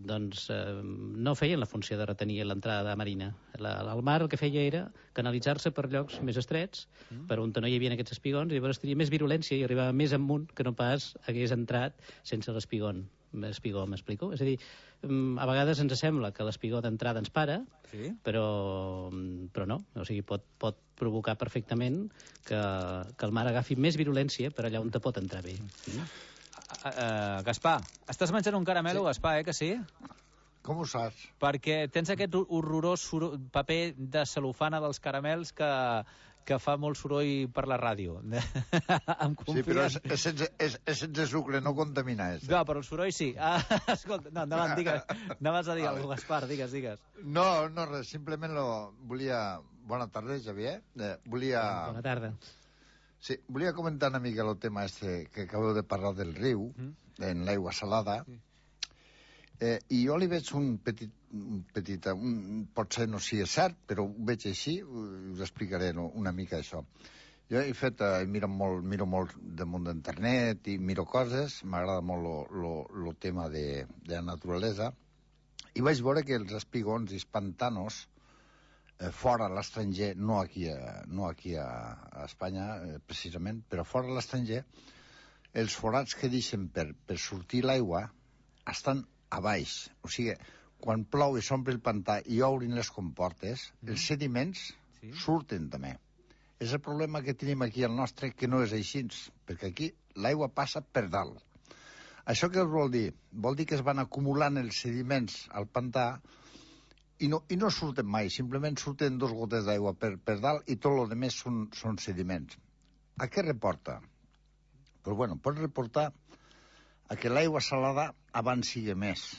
doncs no feien la funció de retenir l'entrada marina. El mar el que feia era canalitzar-se per llocs més estrets, per on no hi havia aquests espigons, i llavors tenia més virulència i arribava més amunt que no pas hagués entrat sense l'espigó, m'explico? És a dir, a vegades ens sembla que l'espigó d'entrada ens para, però no. O sigui, pot provocar perfectament que el mar agafi més virulència per allà on te pot entrar bé. Gaspar, estàs menjant un caramelo, Gaspar, que sí? Com ho saps? Perquè tens aquest horrorós paper de cel·lofana dels caramels que fa molt soroll per la ràdio. Sí, però és sense sucre, no contamina. No, però el soroll sí. Escolta, no, endavant, digues. Anaves a dir alguna cosa, Gaspar, digues. No, res, simplement volia... Bona tarda, Xavier. Bona tarda. Sí, volia comentar una mica el tema que acabeu de parlar del riu, en l'aigua salada, i jo li veig un petit, potser no sigui cert, però ho veig així, us explicaré una mica això. Jo miro molt damunt d'internet i miro coses, m'agrada molt el tema de la naturalesa, i vaig veure que els espigons i els pantanos, fora a l'estranger, no aquí a Espanya, precisament, però fora a l'estranger, els forats que deixen per sortir l'aigua estan a baix. O sigui, quan plou i s'omple el pantà i obrin les comportes, els sediments surten també. És el problema que tenim aquí al nostre, que no és així, perquè aquí l'aigua passa per dalt. Això què vol dir? Vol dir que es van acumulant els sediments al pantà i no surten mai, simplement surten 2 gotes d'aigua per dalt i tot el que més són sediments. A què reporta? Doncs bueno, pot reportar a que l'aigua salada avanci més.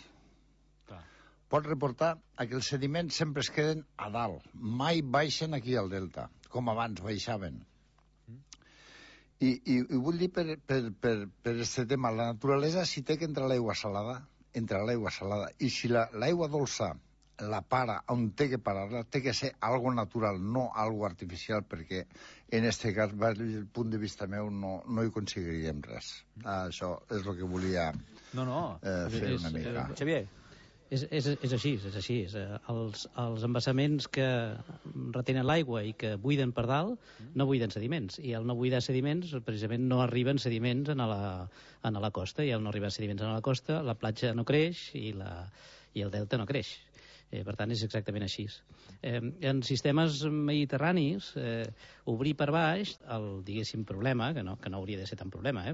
Pot reportar a que els sediments sempre es queden a dalt, mai baixen aquí al delta, com abans baixaven. I vull dir per aquest tema, la naturalesa, si té que entrar l'aigua salada, entra l'aigua salada, i si l'aigua dolça la para on té que parar-la, té que ser algo natural, no algo artificial, perquè en este cas, des del punt de vista meu, no hi aconseguiríem res. Això és el que volia fer una mica. Xavier? És així. Els embassaments que retenen l'aigua i que buiden per dalt no buiden sediments, i al no buidar sediments precisament no arriben sediments a la costa, i al no arribar sediments a la costa la platja no creix i el delta no creix. Per tant, és exactament així. En sistemes mediterranis, obrir per baix, el, diguéssim, problema, que no hauria de ser tan problema,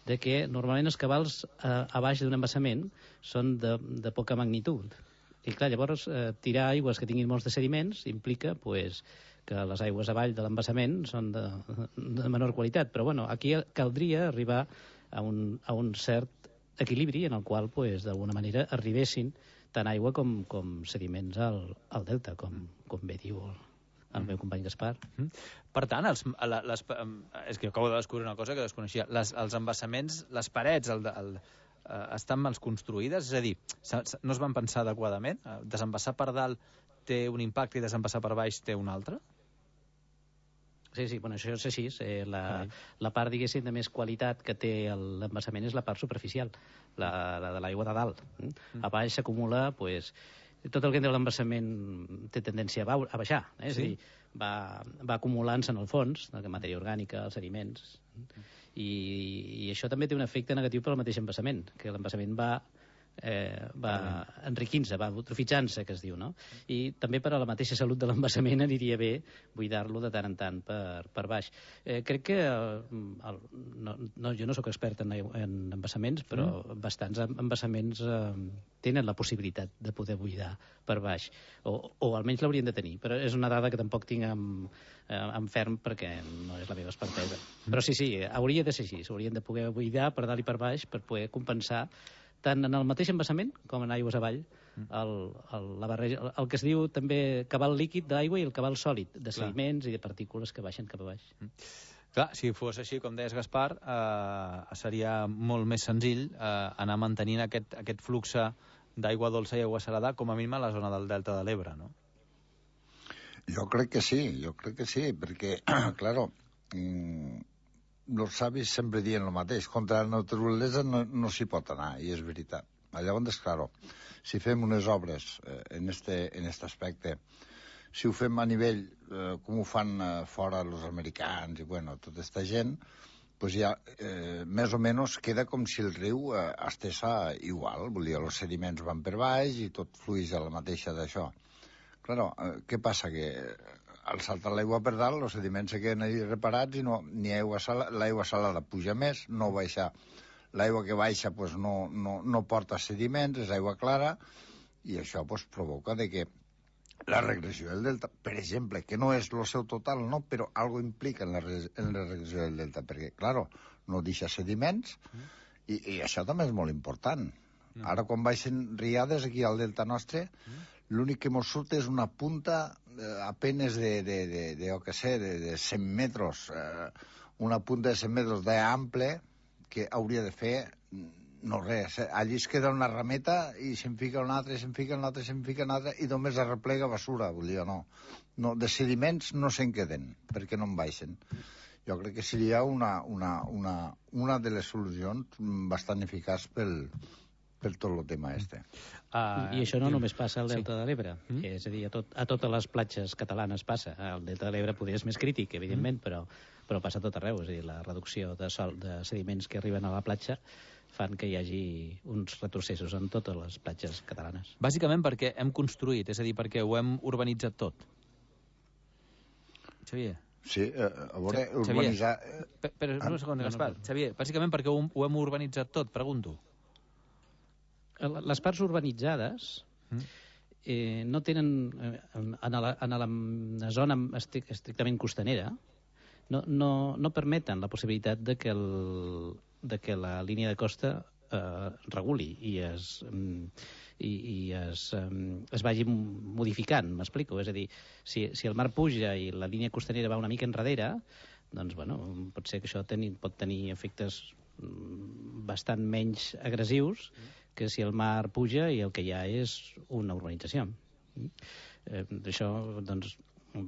de que normalment els cabals a baix d'un embassament són de poca magnitud. I clar, llavors, tirar aigües que tinguin molts de sediments implica que les aigües avall de l'embassament són de menor qualitat. Però bueno, aquí caldria arribar a un cert equilibri en el qual, d'alguna manera, arribessin tant aigua com sediments al delta, com bé diu el meu company Gaspar. Per tant, és que acabo de descobrir una cosa que desconeixia. Els embassaments, les parets estan mal construïdes? És a dir, no es van pensar adequadament? Desembassar per dalt té un impacte i desembassar per baix té un altre? Sí, bueno, això és així. La part, diguéssim, de més qualitat que té l'embassament és la part superficial, la de l'aigua de dalt. A baix s'acumula, tot el que entra a l'embassament té tendència a baixar, és a dir, va acumulant-se en el fons, la matèria orgànica, els sediments, i això també té un efecte negatiu per al mateix embassament, que l'embassament va enriquint-se, va eutrofitzant-se, que es diu, no? I també per a la mateixa salut de l'embassament aniria bé buidar-lo de tant en tant per baix. Crec que jo no sóc expert en embassaments, però bastants embassaments tenen la possibilitat de poder buidar per baix, o almenys l'haurien de tenir, però és una dada que tampoc tinc en ferm perquè no és la meva expertesa. Però sí, hauria de ser així, s'haurien de poder buidar per dalt i per baix per poder compensar tant en el mateix embassament com en aigües avall, la barreja, el que es diu també cabal líquid d'aigua i el cabal sòlid, de sediments i de partícules que baixen cap a baix. Clar, si fos així, com deies, Gaspar, seria molt més senzill anar mantenint aquest flux d'aigua dolça i aigua salada, com a mínim a la zona del Delta de l'Ebre, no? Jo crec que sí, perquè, claro, els savis sempre diuen el mateix, contra la naturalesa no s'hi pot anar, i és veritat. Llavors, claro, si fem unes obres en este aspecte, si ho fem a nivell, com ho fan fora els americans i, bueno, tota aquesta gent, pues ja més o menys queda com si el riu estés igual, vull dir, els sediments van per baix i tot fluix a la mateixa d'això. Claro, què passa? Que al saltar l'aigua per dalt, els sediments se queden ahí reparats i l'aigua salada puja més, no baixa. L'aigua que baixa pues, no porta sediments, és aigua clara, i això pues, provoca de que la regressió del delta, per exemple, que no és el seu total, no, però algo implica en la regressió del delta, perquè, claro, no deixa sediments, i això també és molt important. Ara, quan baixen riades aquí al delta nostre, l'únic que mos surt és una punta apenas de 100 metres, una punta de 100 metres d'ample que hauria de fer no res. Allí es queda una rameta i se'n fica una altra, se'n fica una altra, i només arreplega basura, vull dir, no. De sediments no se'n queden, perquè no en baixen. Jo crec que seria una de les solucions bastant eficaç per tot el tema este. I això no només passa al Delta de l'Ebre, és a dir, a totes les platges catalanes passa. Al Delta de l'Ebre podria ser més crític, evidentment, però passa a tot arreu. És a dir, la reducció de sediments que arriben a la platja fan que hi hagi uns retrocessos en totes les platges catalanes. Bàsicament perquè hem construït, és a dir, perquè ho hem urbanitzat tot. Xavier? Sí, a veure, urbanitzar... Però un segon, Gaspar. Xavier, bàsicament perquè ho hem urbanitzat tot, pregunto. Les parts urbanitzades no tenen, en la zona estrictament costanera, no permeten la possibilitat de que la línia de costa reguli i es vagi modificant, m'explico? És a dir, si el mar puja i la línia costanera va una mica enrere, doncs, bueno, pot ser que això pot tenir efectes bastant menys agressius que si el mar puja i el que hi ha és una urbanització. Això, doncs,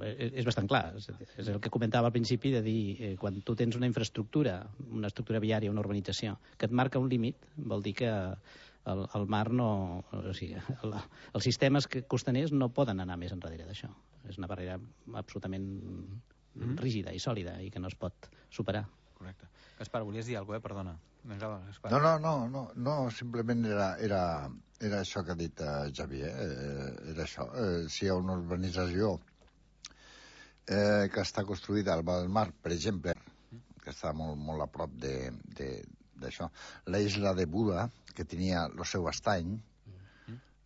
és bastant clar. És el que comentava al principi de dir, quan tu tens una infraestructura, una estructura viària, una urbanització, que et marca un límit, vol dir que el mar no... O sigui, els sistemes costaners no poden anar més enrere d'això. És una barrera absolutament rígida i sòlida i que no es pot superar. Correcte. Gaspar, volies dir alguna cosa, perdona. No, simplement era això que ha dit Xavier, era això. Si hi ha una urbanització que està construïda al Val del Mar, per exemple, que està molt a prop d'això, la isla de Buda, que tenia el seu estany,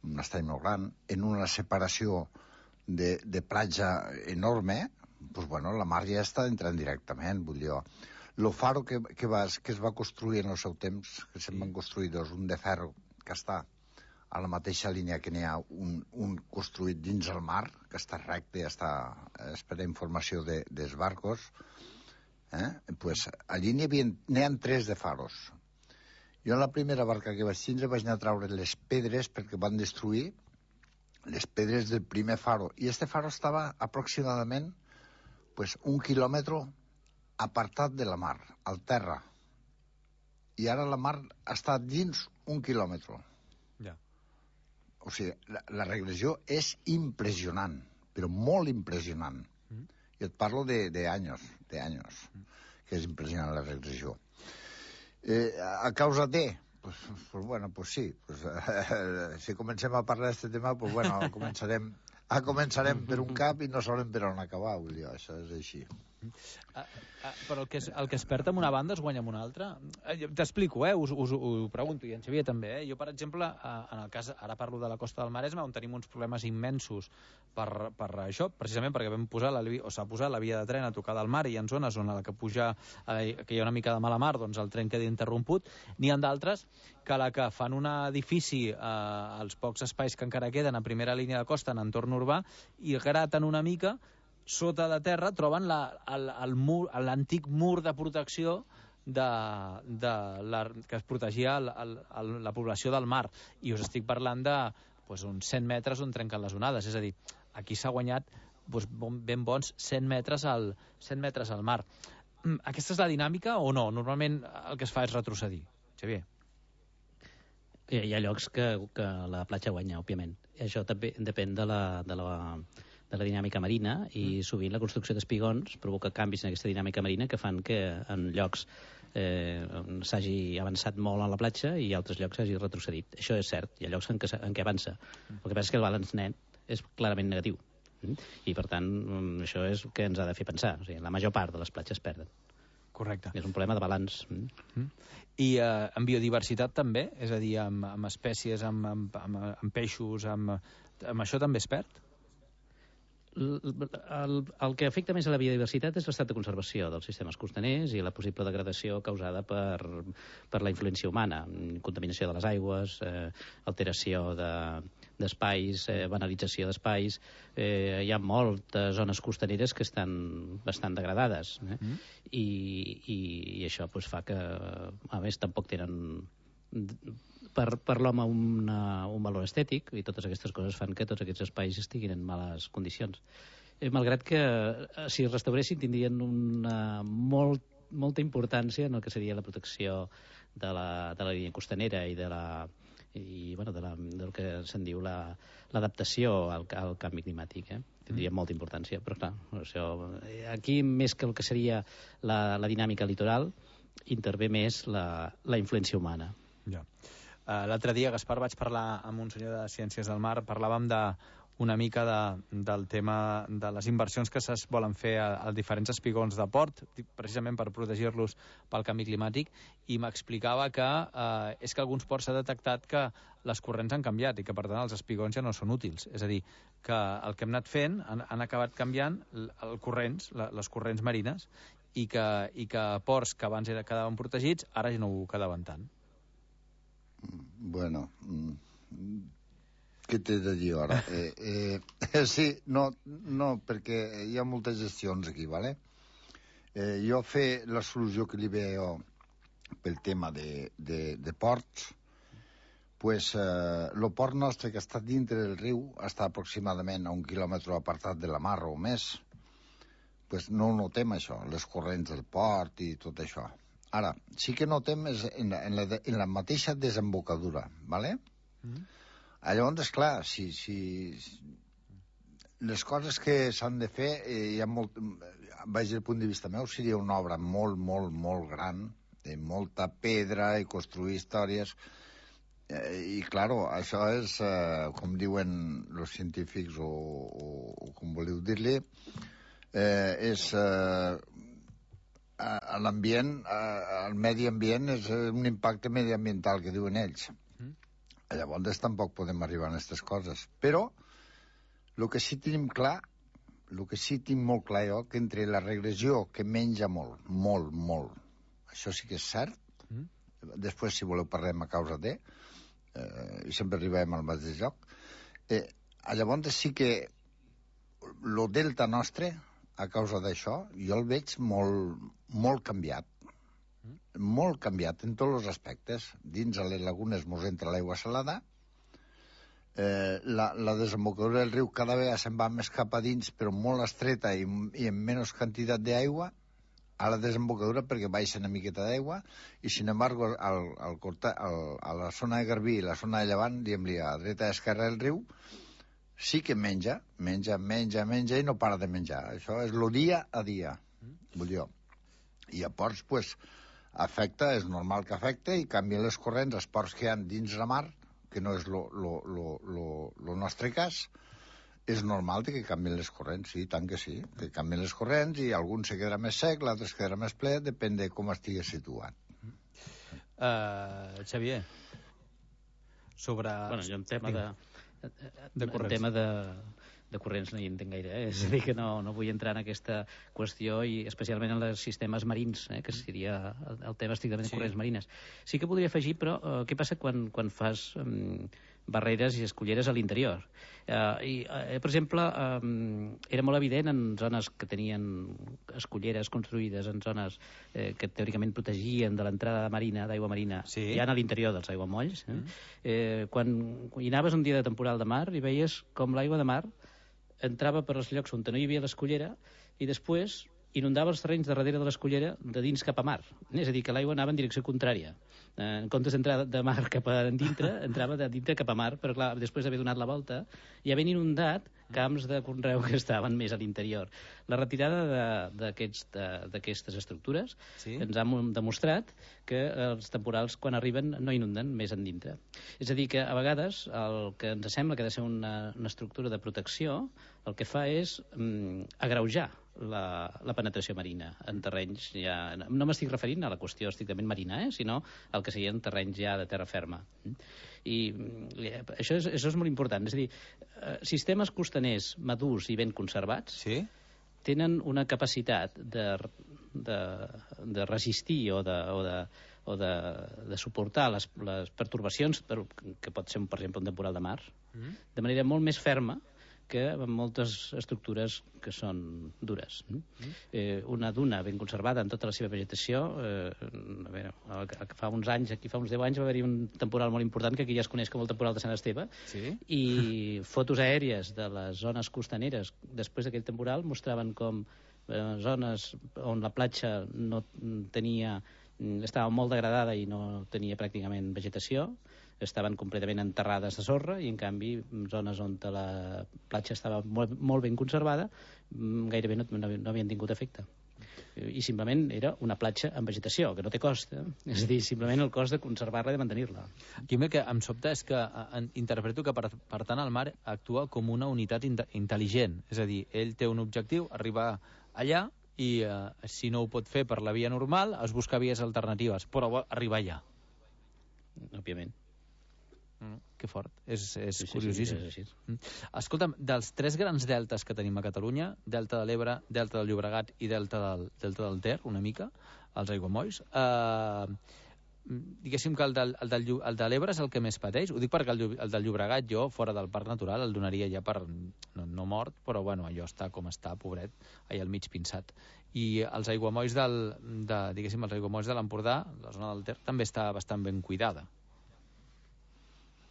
un estany molt gran, en una separació de platja enorme, doncs, bueno, la mar ja està entrant directament, vull dir. El faro que es va construir en el seu temps, que se'n van construir dos, un de ferro que està a la mateixa línia que n'hi ha un construït dins el mar, que està recte, és per a informació dels barcos, pues, allí n'hi ha 3 de faros. Jo en la primera barca que vaig tindre vaig anar a treure les pedres perquè van destruir les pedres del primer faro, i este faro estava aproximadament pues, 1 quilòmetre apartat de la mar, al terra. I ara la mar està dins 1 quilòmetre. Ja. O sigui, la regressió és impressionant, però molt impressionant. I et parlo d'anys, que és impressionant la regressió. A causa de... Pues bueno, pues sí. Si comencem a parlar d'aquest tema, pues bueno, començarem per un cap i no sabrem per on acabar, vull dir, això és així. Però el que es perd amb una banda es guanya amb una altra. T'explico, us ho pregunto, i en Xavier també. Jo, per exemple, en el cas, ara parlo de la costa del Maresme, on tenim uns problemes immensos per això, precisament perquè s'ha posat la via de tren a tocar del mar, i hi ha zones on a la que puja, que hi ha una mica de mala mar, doncs el tren queda interromput. N'hi ha d'altres que a la que fan un edifici als pocs espais que encara queden a primera línia de costa en entorn urbà i graten una mica, sota de terra troben l'antic mur de protecció que es protegia la població del mar. I us estic parlant de uns 100 metres on trenquen les onades. És a dir, aquí s'ha guanyat ben bons 100 metres al mar. Aquesta és la dinàmica o no? Normalment el que es fa és retrocedir. Xavier. Hi ha llocs que la platja guanya, òbviament. Això també depèn de la dinàmica marina i sovint la construcció d'espigons provoca canvis en aquesta dinàmica marina que fan que en llocs s'hagi avançat molt a la platja i altres llocs s'hagi retrocedit. Això és cert, hi ha llocs en què avança. El que passa és que el balanç net és clarament negatiu. I, per tant, això és el que ens ha de fer pensar. O sigui, la major part de les platges perden. Correcte. És un problema de balanç. I en biodiversitat també? És a dir, amb espècies, amb peixos, amb això també es perd? El que afecta més a la biodiversitat és l'estat de conservació dels sistemes costaners i la possible degradació causada per la influència humana, contaminació de les aigües, alteració d'espais, banalització d'espais. Hi ha moltes zones costaneres que estan bastant degradades, i això fa que, a més, tampoc tenen per l'home un valor estètic, i totes aquestes coses fan que tots aquests espais estiguin en males condicions. Malgrat que si es restauressin tindrien molta importància en el que seria la protecció de la línia costanera i del que se'n diu l'adaptació al canvi climàtic. Tindria molta importància, però clar, aquí més que el que seria la dinàmica litoral intervé més la influència humana. Ja. L'altre dia, Gaspar, vaig parlar amb un senyor de Ciències del Mar, parlàvem una mica del tema de les inversions que es volen fer a diferents espigons de port, precisament per protegir-los pel canvi climàtic, i m'explicava que és que alguns ports s'ha detectat que les corrents han canviat i que, per tant, els espigons ja no són útils. És a dir, que el que hem anat fent han acabat canviant les corrents marines i que ports que abans quedaven protegits ara ja no ho quedaven tant. Bueno, què t'he de dir ara? Sí, no, perquè hi ha moltes gestions aquí, ¿vale? Jo fer la solució que li veo pel tema de ports, pues el port nostre que està dintre del riu està aproximadament a 1 quilòmetre apartat de la mar o més, pues no ho notem això, les corrents del port i tot això. Ara, sí que notem en la mateixa desembocadura, ¿vale? Llavors, esclar, si les coses que s'han de fer, hi ha molt, vaig del punt de vista meu, seria una obra molt, molt, molt gran, de molta pedra i construir històries, i, claro, això és, com diuen els científics, o com voleu dir-li, és... l'ambient, el medi ambient és un impacte mediambiental que diuen ells. Llavors tampoc podem arribar a aquestes coses. Però el que sí tenim clar, el que sí tinc molt clar jo, que entre la regressió que menja molt, això sí que és cert, després si voleu parlem a causa de, i sempre arribem al mateix lloc, llavors sí que el delta nostre, a causa d'això, jo el veig molt canviat. Molt canviat en tots els aspectes. Dins a les lagunes mos entra l'aigua salada, la desembocadura del riu cada vegada se'n va més cap a dins, però molt estreta i amb menys quantitat d'aigua a la desembocadura perquè baixa una miqueta d'aigua, i sin embargo a la zona de Garbí i la zona de Llevant, diguem-li a dreta i esquerra del riu, sí que menja i no para de menjar. Això és el dia a dia, vull dir. I a ports, pues, afecta, és normal que afecta, i canvien les corrents, els ports que hi ha dins la mar, que no és el nostre cas, és normal que canvien les corrents, sí, tant que sí, que canvien les corrents, i algun se quedarà més sec, l'altre es quedarà més ple, depèn de com estigui situat. Xavier, sobre... Bueno, jo en tema de corrents no hi entenc gaire, és a dir, que no vull entrar en aquesta qüestió, i especialment en els sistemes marins, que seria el tema estrictament de corrents marines. Sí que podria afegir, però, què passa quan fas barreres i esculleres a l'interior? Per exemple, era molt evident en zones que tenien esculleres construïdes en zones que teòricament protegien de l'entrada marina, d'aigua marina, ja a l'interior dels aiguamolls. Quan hi anaves un dia de temporal de mar i veies com l'aigua de mar entrava per els llocs on no hi havia l'escullera i després inundava els terrenys de darrere de l'escullera de dins cap a mar. És a dir, que l'aigua anava en direcció contrària. En comptes d'entrar de mar cap a dintre, entrava de dintre cap a mar, però clar, després d'haver donat la volta i havent inundat camps de conreu que estaven més a l'interior. La retirada d'aquestes estructures ens ha demostrat que els temporals, quan arriben, no inunden més endintre. És a dir, que a vegades el que ens sembla que ha de ser una estructura de protecció, el que fa és agreujar la penetració marina en terrenys ja... No m'estic referint a la qüestió estrictament marina, sinó al que serien terrenys ja de terra ferma. I això és molt important. És a dir, sistemes costaners madurs i ben conservats tenen una capacitat de resistir o de suportar les pertorbacions, que pot ser, per exemple, un temporal de mar, de manera molt més ferma que en moltes estructures que són dures. Una duna ben conservada en tota la seva vegetació, fa uns anys, aquí fa uns 10 anys va haver-hi un temporal molt important que aquí ja es coneix com el temporal de Sant Esteve, i fotos aèries de les zones costaneres després d'aquell temporal mostraven com zones on la platja no tenia, estava molt degradada i no tenia pràcticament vegetació, estaven completament enterrades de sorra, i en canvi zones on la platja estava molt ben conservada gairebé no havien tingut efecte, i simplement era una platja amb vegetació, que no té cost, és a dir, simplement el cost de conservar-la i de mantenir-la. Aquí el que em sobta és que interpreto que per tant el mar actua com una unitat intel·ligent, és a dir, ell té un objectiu, arribar allà, i si no ho pot fer per la via normal es busca vies alternatives, però arribar allà. Òbviament. Que fort, és curiosíssim. Escolta'm, dels 3 grans deltes que tenim a Catalunya, Delta de l'Ebre, Delta del Llobregat i Delta del Ter, una mica, els aiguamolls, diguéssim que el de l'Ebre és el que més pateix. Ho dic perquè el del Llobregat jo, fora del parc natural, el donaria ja per no mort, però bueno, allò està com està, pobret, allà al mig pinçat. I els aiguamolls diguéssim, els aiguamolls de l'Empordà, la zona del Ter, també està bastant ben cuidada.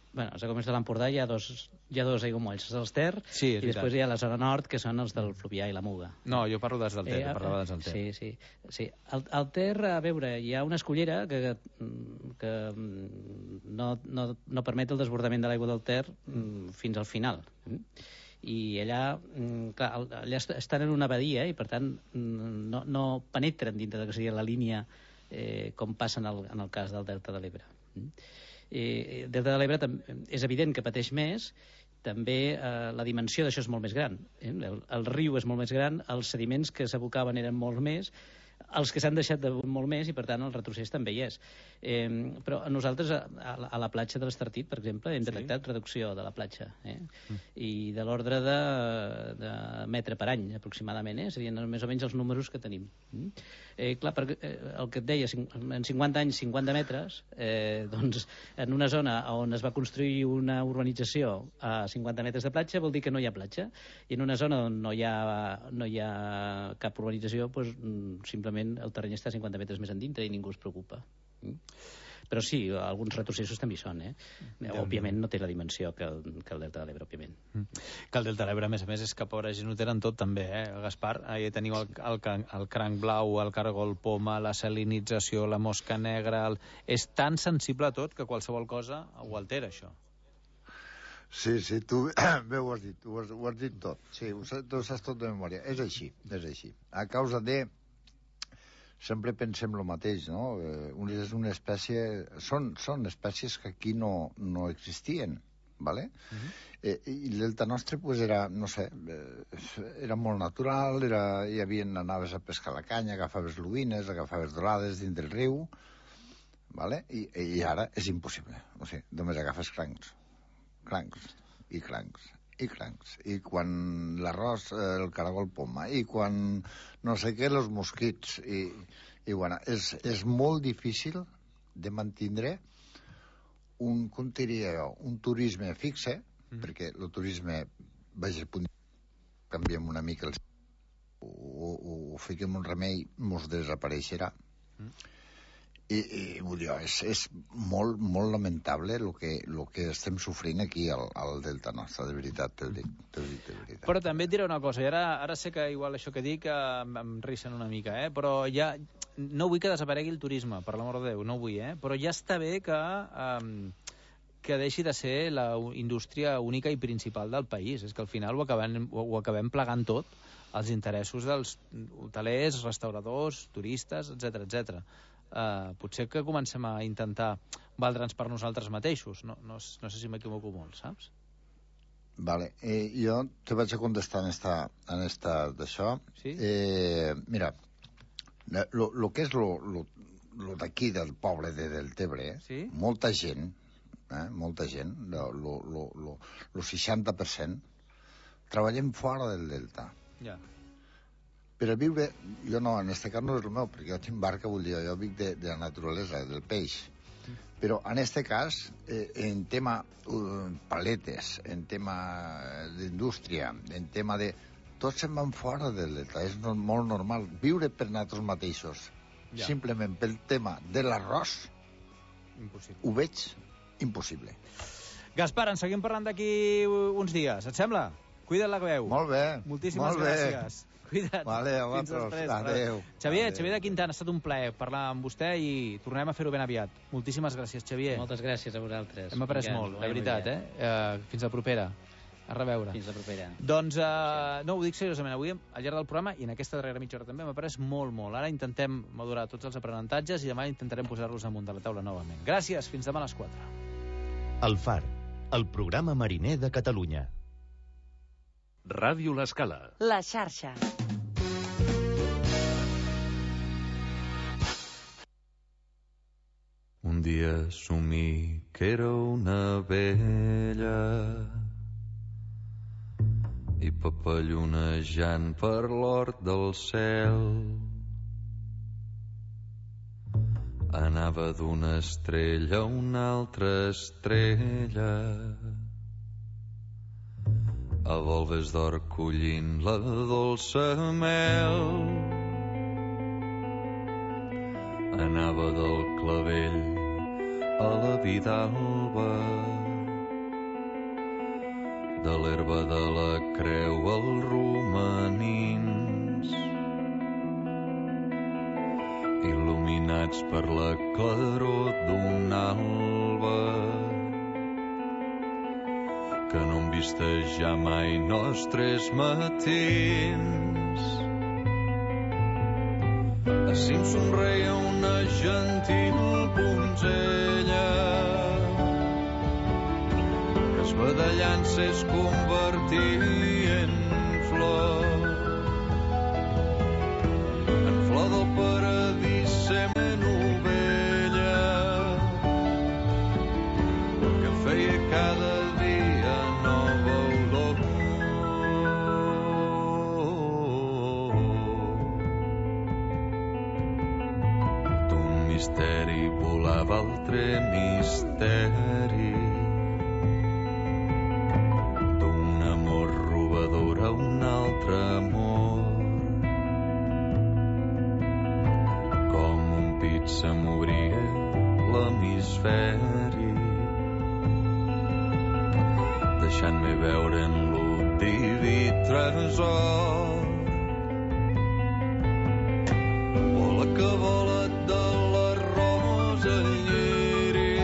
Bueno, els aiguamolls de l'Empordà hi ha dos aiguamolls, els Ter, i després hi ha la zona nord, que són els del Fluvià i la Muga. No, jo parlo dels del Ter, parlava dels del Ter. Sí. Al Ter, a veure, hi ha una escullera que no permet el desbordament de l'aigua del Ter fins al final. I allà, clar, allà estan en una badia i, per tant, no penetren dintre de que seria la línia com passa en el cas del Delta de l'Ebre. Delta de l'Ebre és evident que pateix més, també la dimensió d'això és molt més gran. El riu és molt més gran, els sediments que s'abocaven eren molt més, els que s'han deixat de molt més, i per tant el retrocés també hi és. Però nosaltres a la platja de l'Estartit, per exemple, hem detectat reducció de la platja, i de l'ordre de metre per any aproximadament, serien més o menys els números que tenim. Clar, el que et deia, en 50 anys 50 metres, doncs en una zona on es va construir una urbanització a 50 metres de platja vol dir que no hi ha platja, i en una zona on no hi ha cap urbanització, doncs simplement el terreny està a 50 metres més endintre i ningú es preocupa. Però sí, alguns retrocessos també hi són. Òbviament no té la dimensió que el Delta de l'Ebre, òbviament. Que el Delta de l'Ebre, a més, és que pobra gent ho tenen tot també, Gaspar? Ahí teniu el cranc blau, el cargol poma, la salinització, la mosca negra... És tan sensible a tot que qualsevol cosa ho altera, això. Sí, tu bé ho has dit, ho has dit tot. Sí, ho saps tot de memòria. És així. A causa de... Sempre pensem el mateix, no? És una espècie... Són espècies que aquí no existien, ¿vale? I l'Elta nostre, pues, era, no sé, era molt natural, anaves a pescar la canya, agafaves lubines, agafaves dorades dins del riu, ¿vale? I ara és impossible. O sigui, només agafes crancs. I quan l'arròs, el caragol poma, i quan no sé què, els mosquits. I bueno, és molt difícil de mantindre un turisme fixe, perquè el turisme, vaja, canviem una mica, o fiquem un remei, mos desapareixerà. I vull dir, és molt, molt lamentable el que estem sofrint aquí al Delta nostre, de veritat, t'ho dic, de veritat. Però també et diré una cosa, i ara sé que igual això que dic em risen una mica, però ja no vull que desaparegui el turisme, per l'amor de Déu, no vull, però ja està bé que deixi de ser la indústria única i principal del país. És que al final ho acabem plegant tot, els interessos dels hotelers, restauradors, turistes, etc. Potser que comencem a intentar valdre'ns per nosaltres mateixos. No sé si m'equivoco molt, saps? Vale, jo te vaig a contestar en esta d'això. Sí? Mira, lo que és lo d'aquí del poble de Deltebre, molta gent, el 60%, treballem fora del Delta. Ja. Per a viure, jo no, en aquest cas no és el meu, perquè jo tinc barca, vull dir, jo vic de la naturalesa, del peix. Però en aquest cas, en tema paletes, en tema d'indústria, en tema de... Tots se'n van fora del Delta, és molt normal. Viure per nosaltres mateixos, simplement pel tema de l'arròs, ho veig impossible. Gaspar, en seguim parlant d'aquí uns dies, et sembla? Cuida't la veu. Molt bé. Moltíssimes gràcies. Cuida't. Vale, a vosaltres. Adéu. Xavier de Quintana, ha estat un plaer parlar amb vostè i tornem a fer-ho ben aviat. Moltíssimes gràcies, Xavier. Moltes gràcies a vosaltres. Hem après molt, de veritat, Fins la propera. A reveure. Fins la propera. Doncs, no, ho dic seriosament, avui al llarg del programa i en aquesta darrera mitja hora també m'ha après molt. Ara intentem madurar tots els aprenentatges i demà intentarem posar-los damunt de la taula novament. Gràcies, fins demà a les 4. El Far, el programa mariner de Catalunya. Ràdio L'Escala. La xarxa. Un dia assumí que era una abella i papallonejant per l'hort del cel anava d'una estrella a una altra estrella a volves d'or collint la dolça mel. Anava del clavell a la vidalba, de l'herba de la creu als romanins, il·luminats per la claror d'un alba que no hem vist ja mai nostres matins. Així em somreia una gentil donzella que esbadallant-se es convertia en flor del paradís sent ovella que feia cada dia nova olor. D'un misteri volava altre misteri, d'un amor robador a un altre amor. Com un pit se m'obria l'hemisferi, deixant-me veure en lo diví tresor. Vola que vola de la rosa lleri,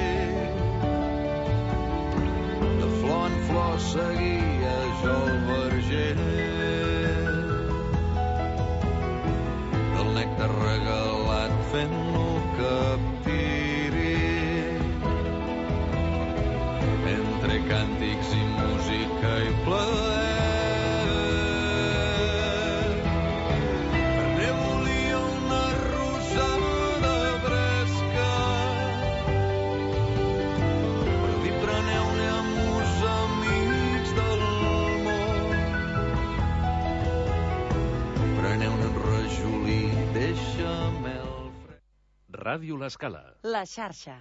de flor en flor seguia jo el verger, del nèctar regalat fent-lo captiri, entre càntics i música i plaer. Ne volia una rosada fresca per dir preneu-ne amb els amics del beixamel fred. Ràdio L'Escala. La xarxa.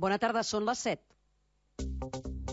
Bona tarda, són les 7.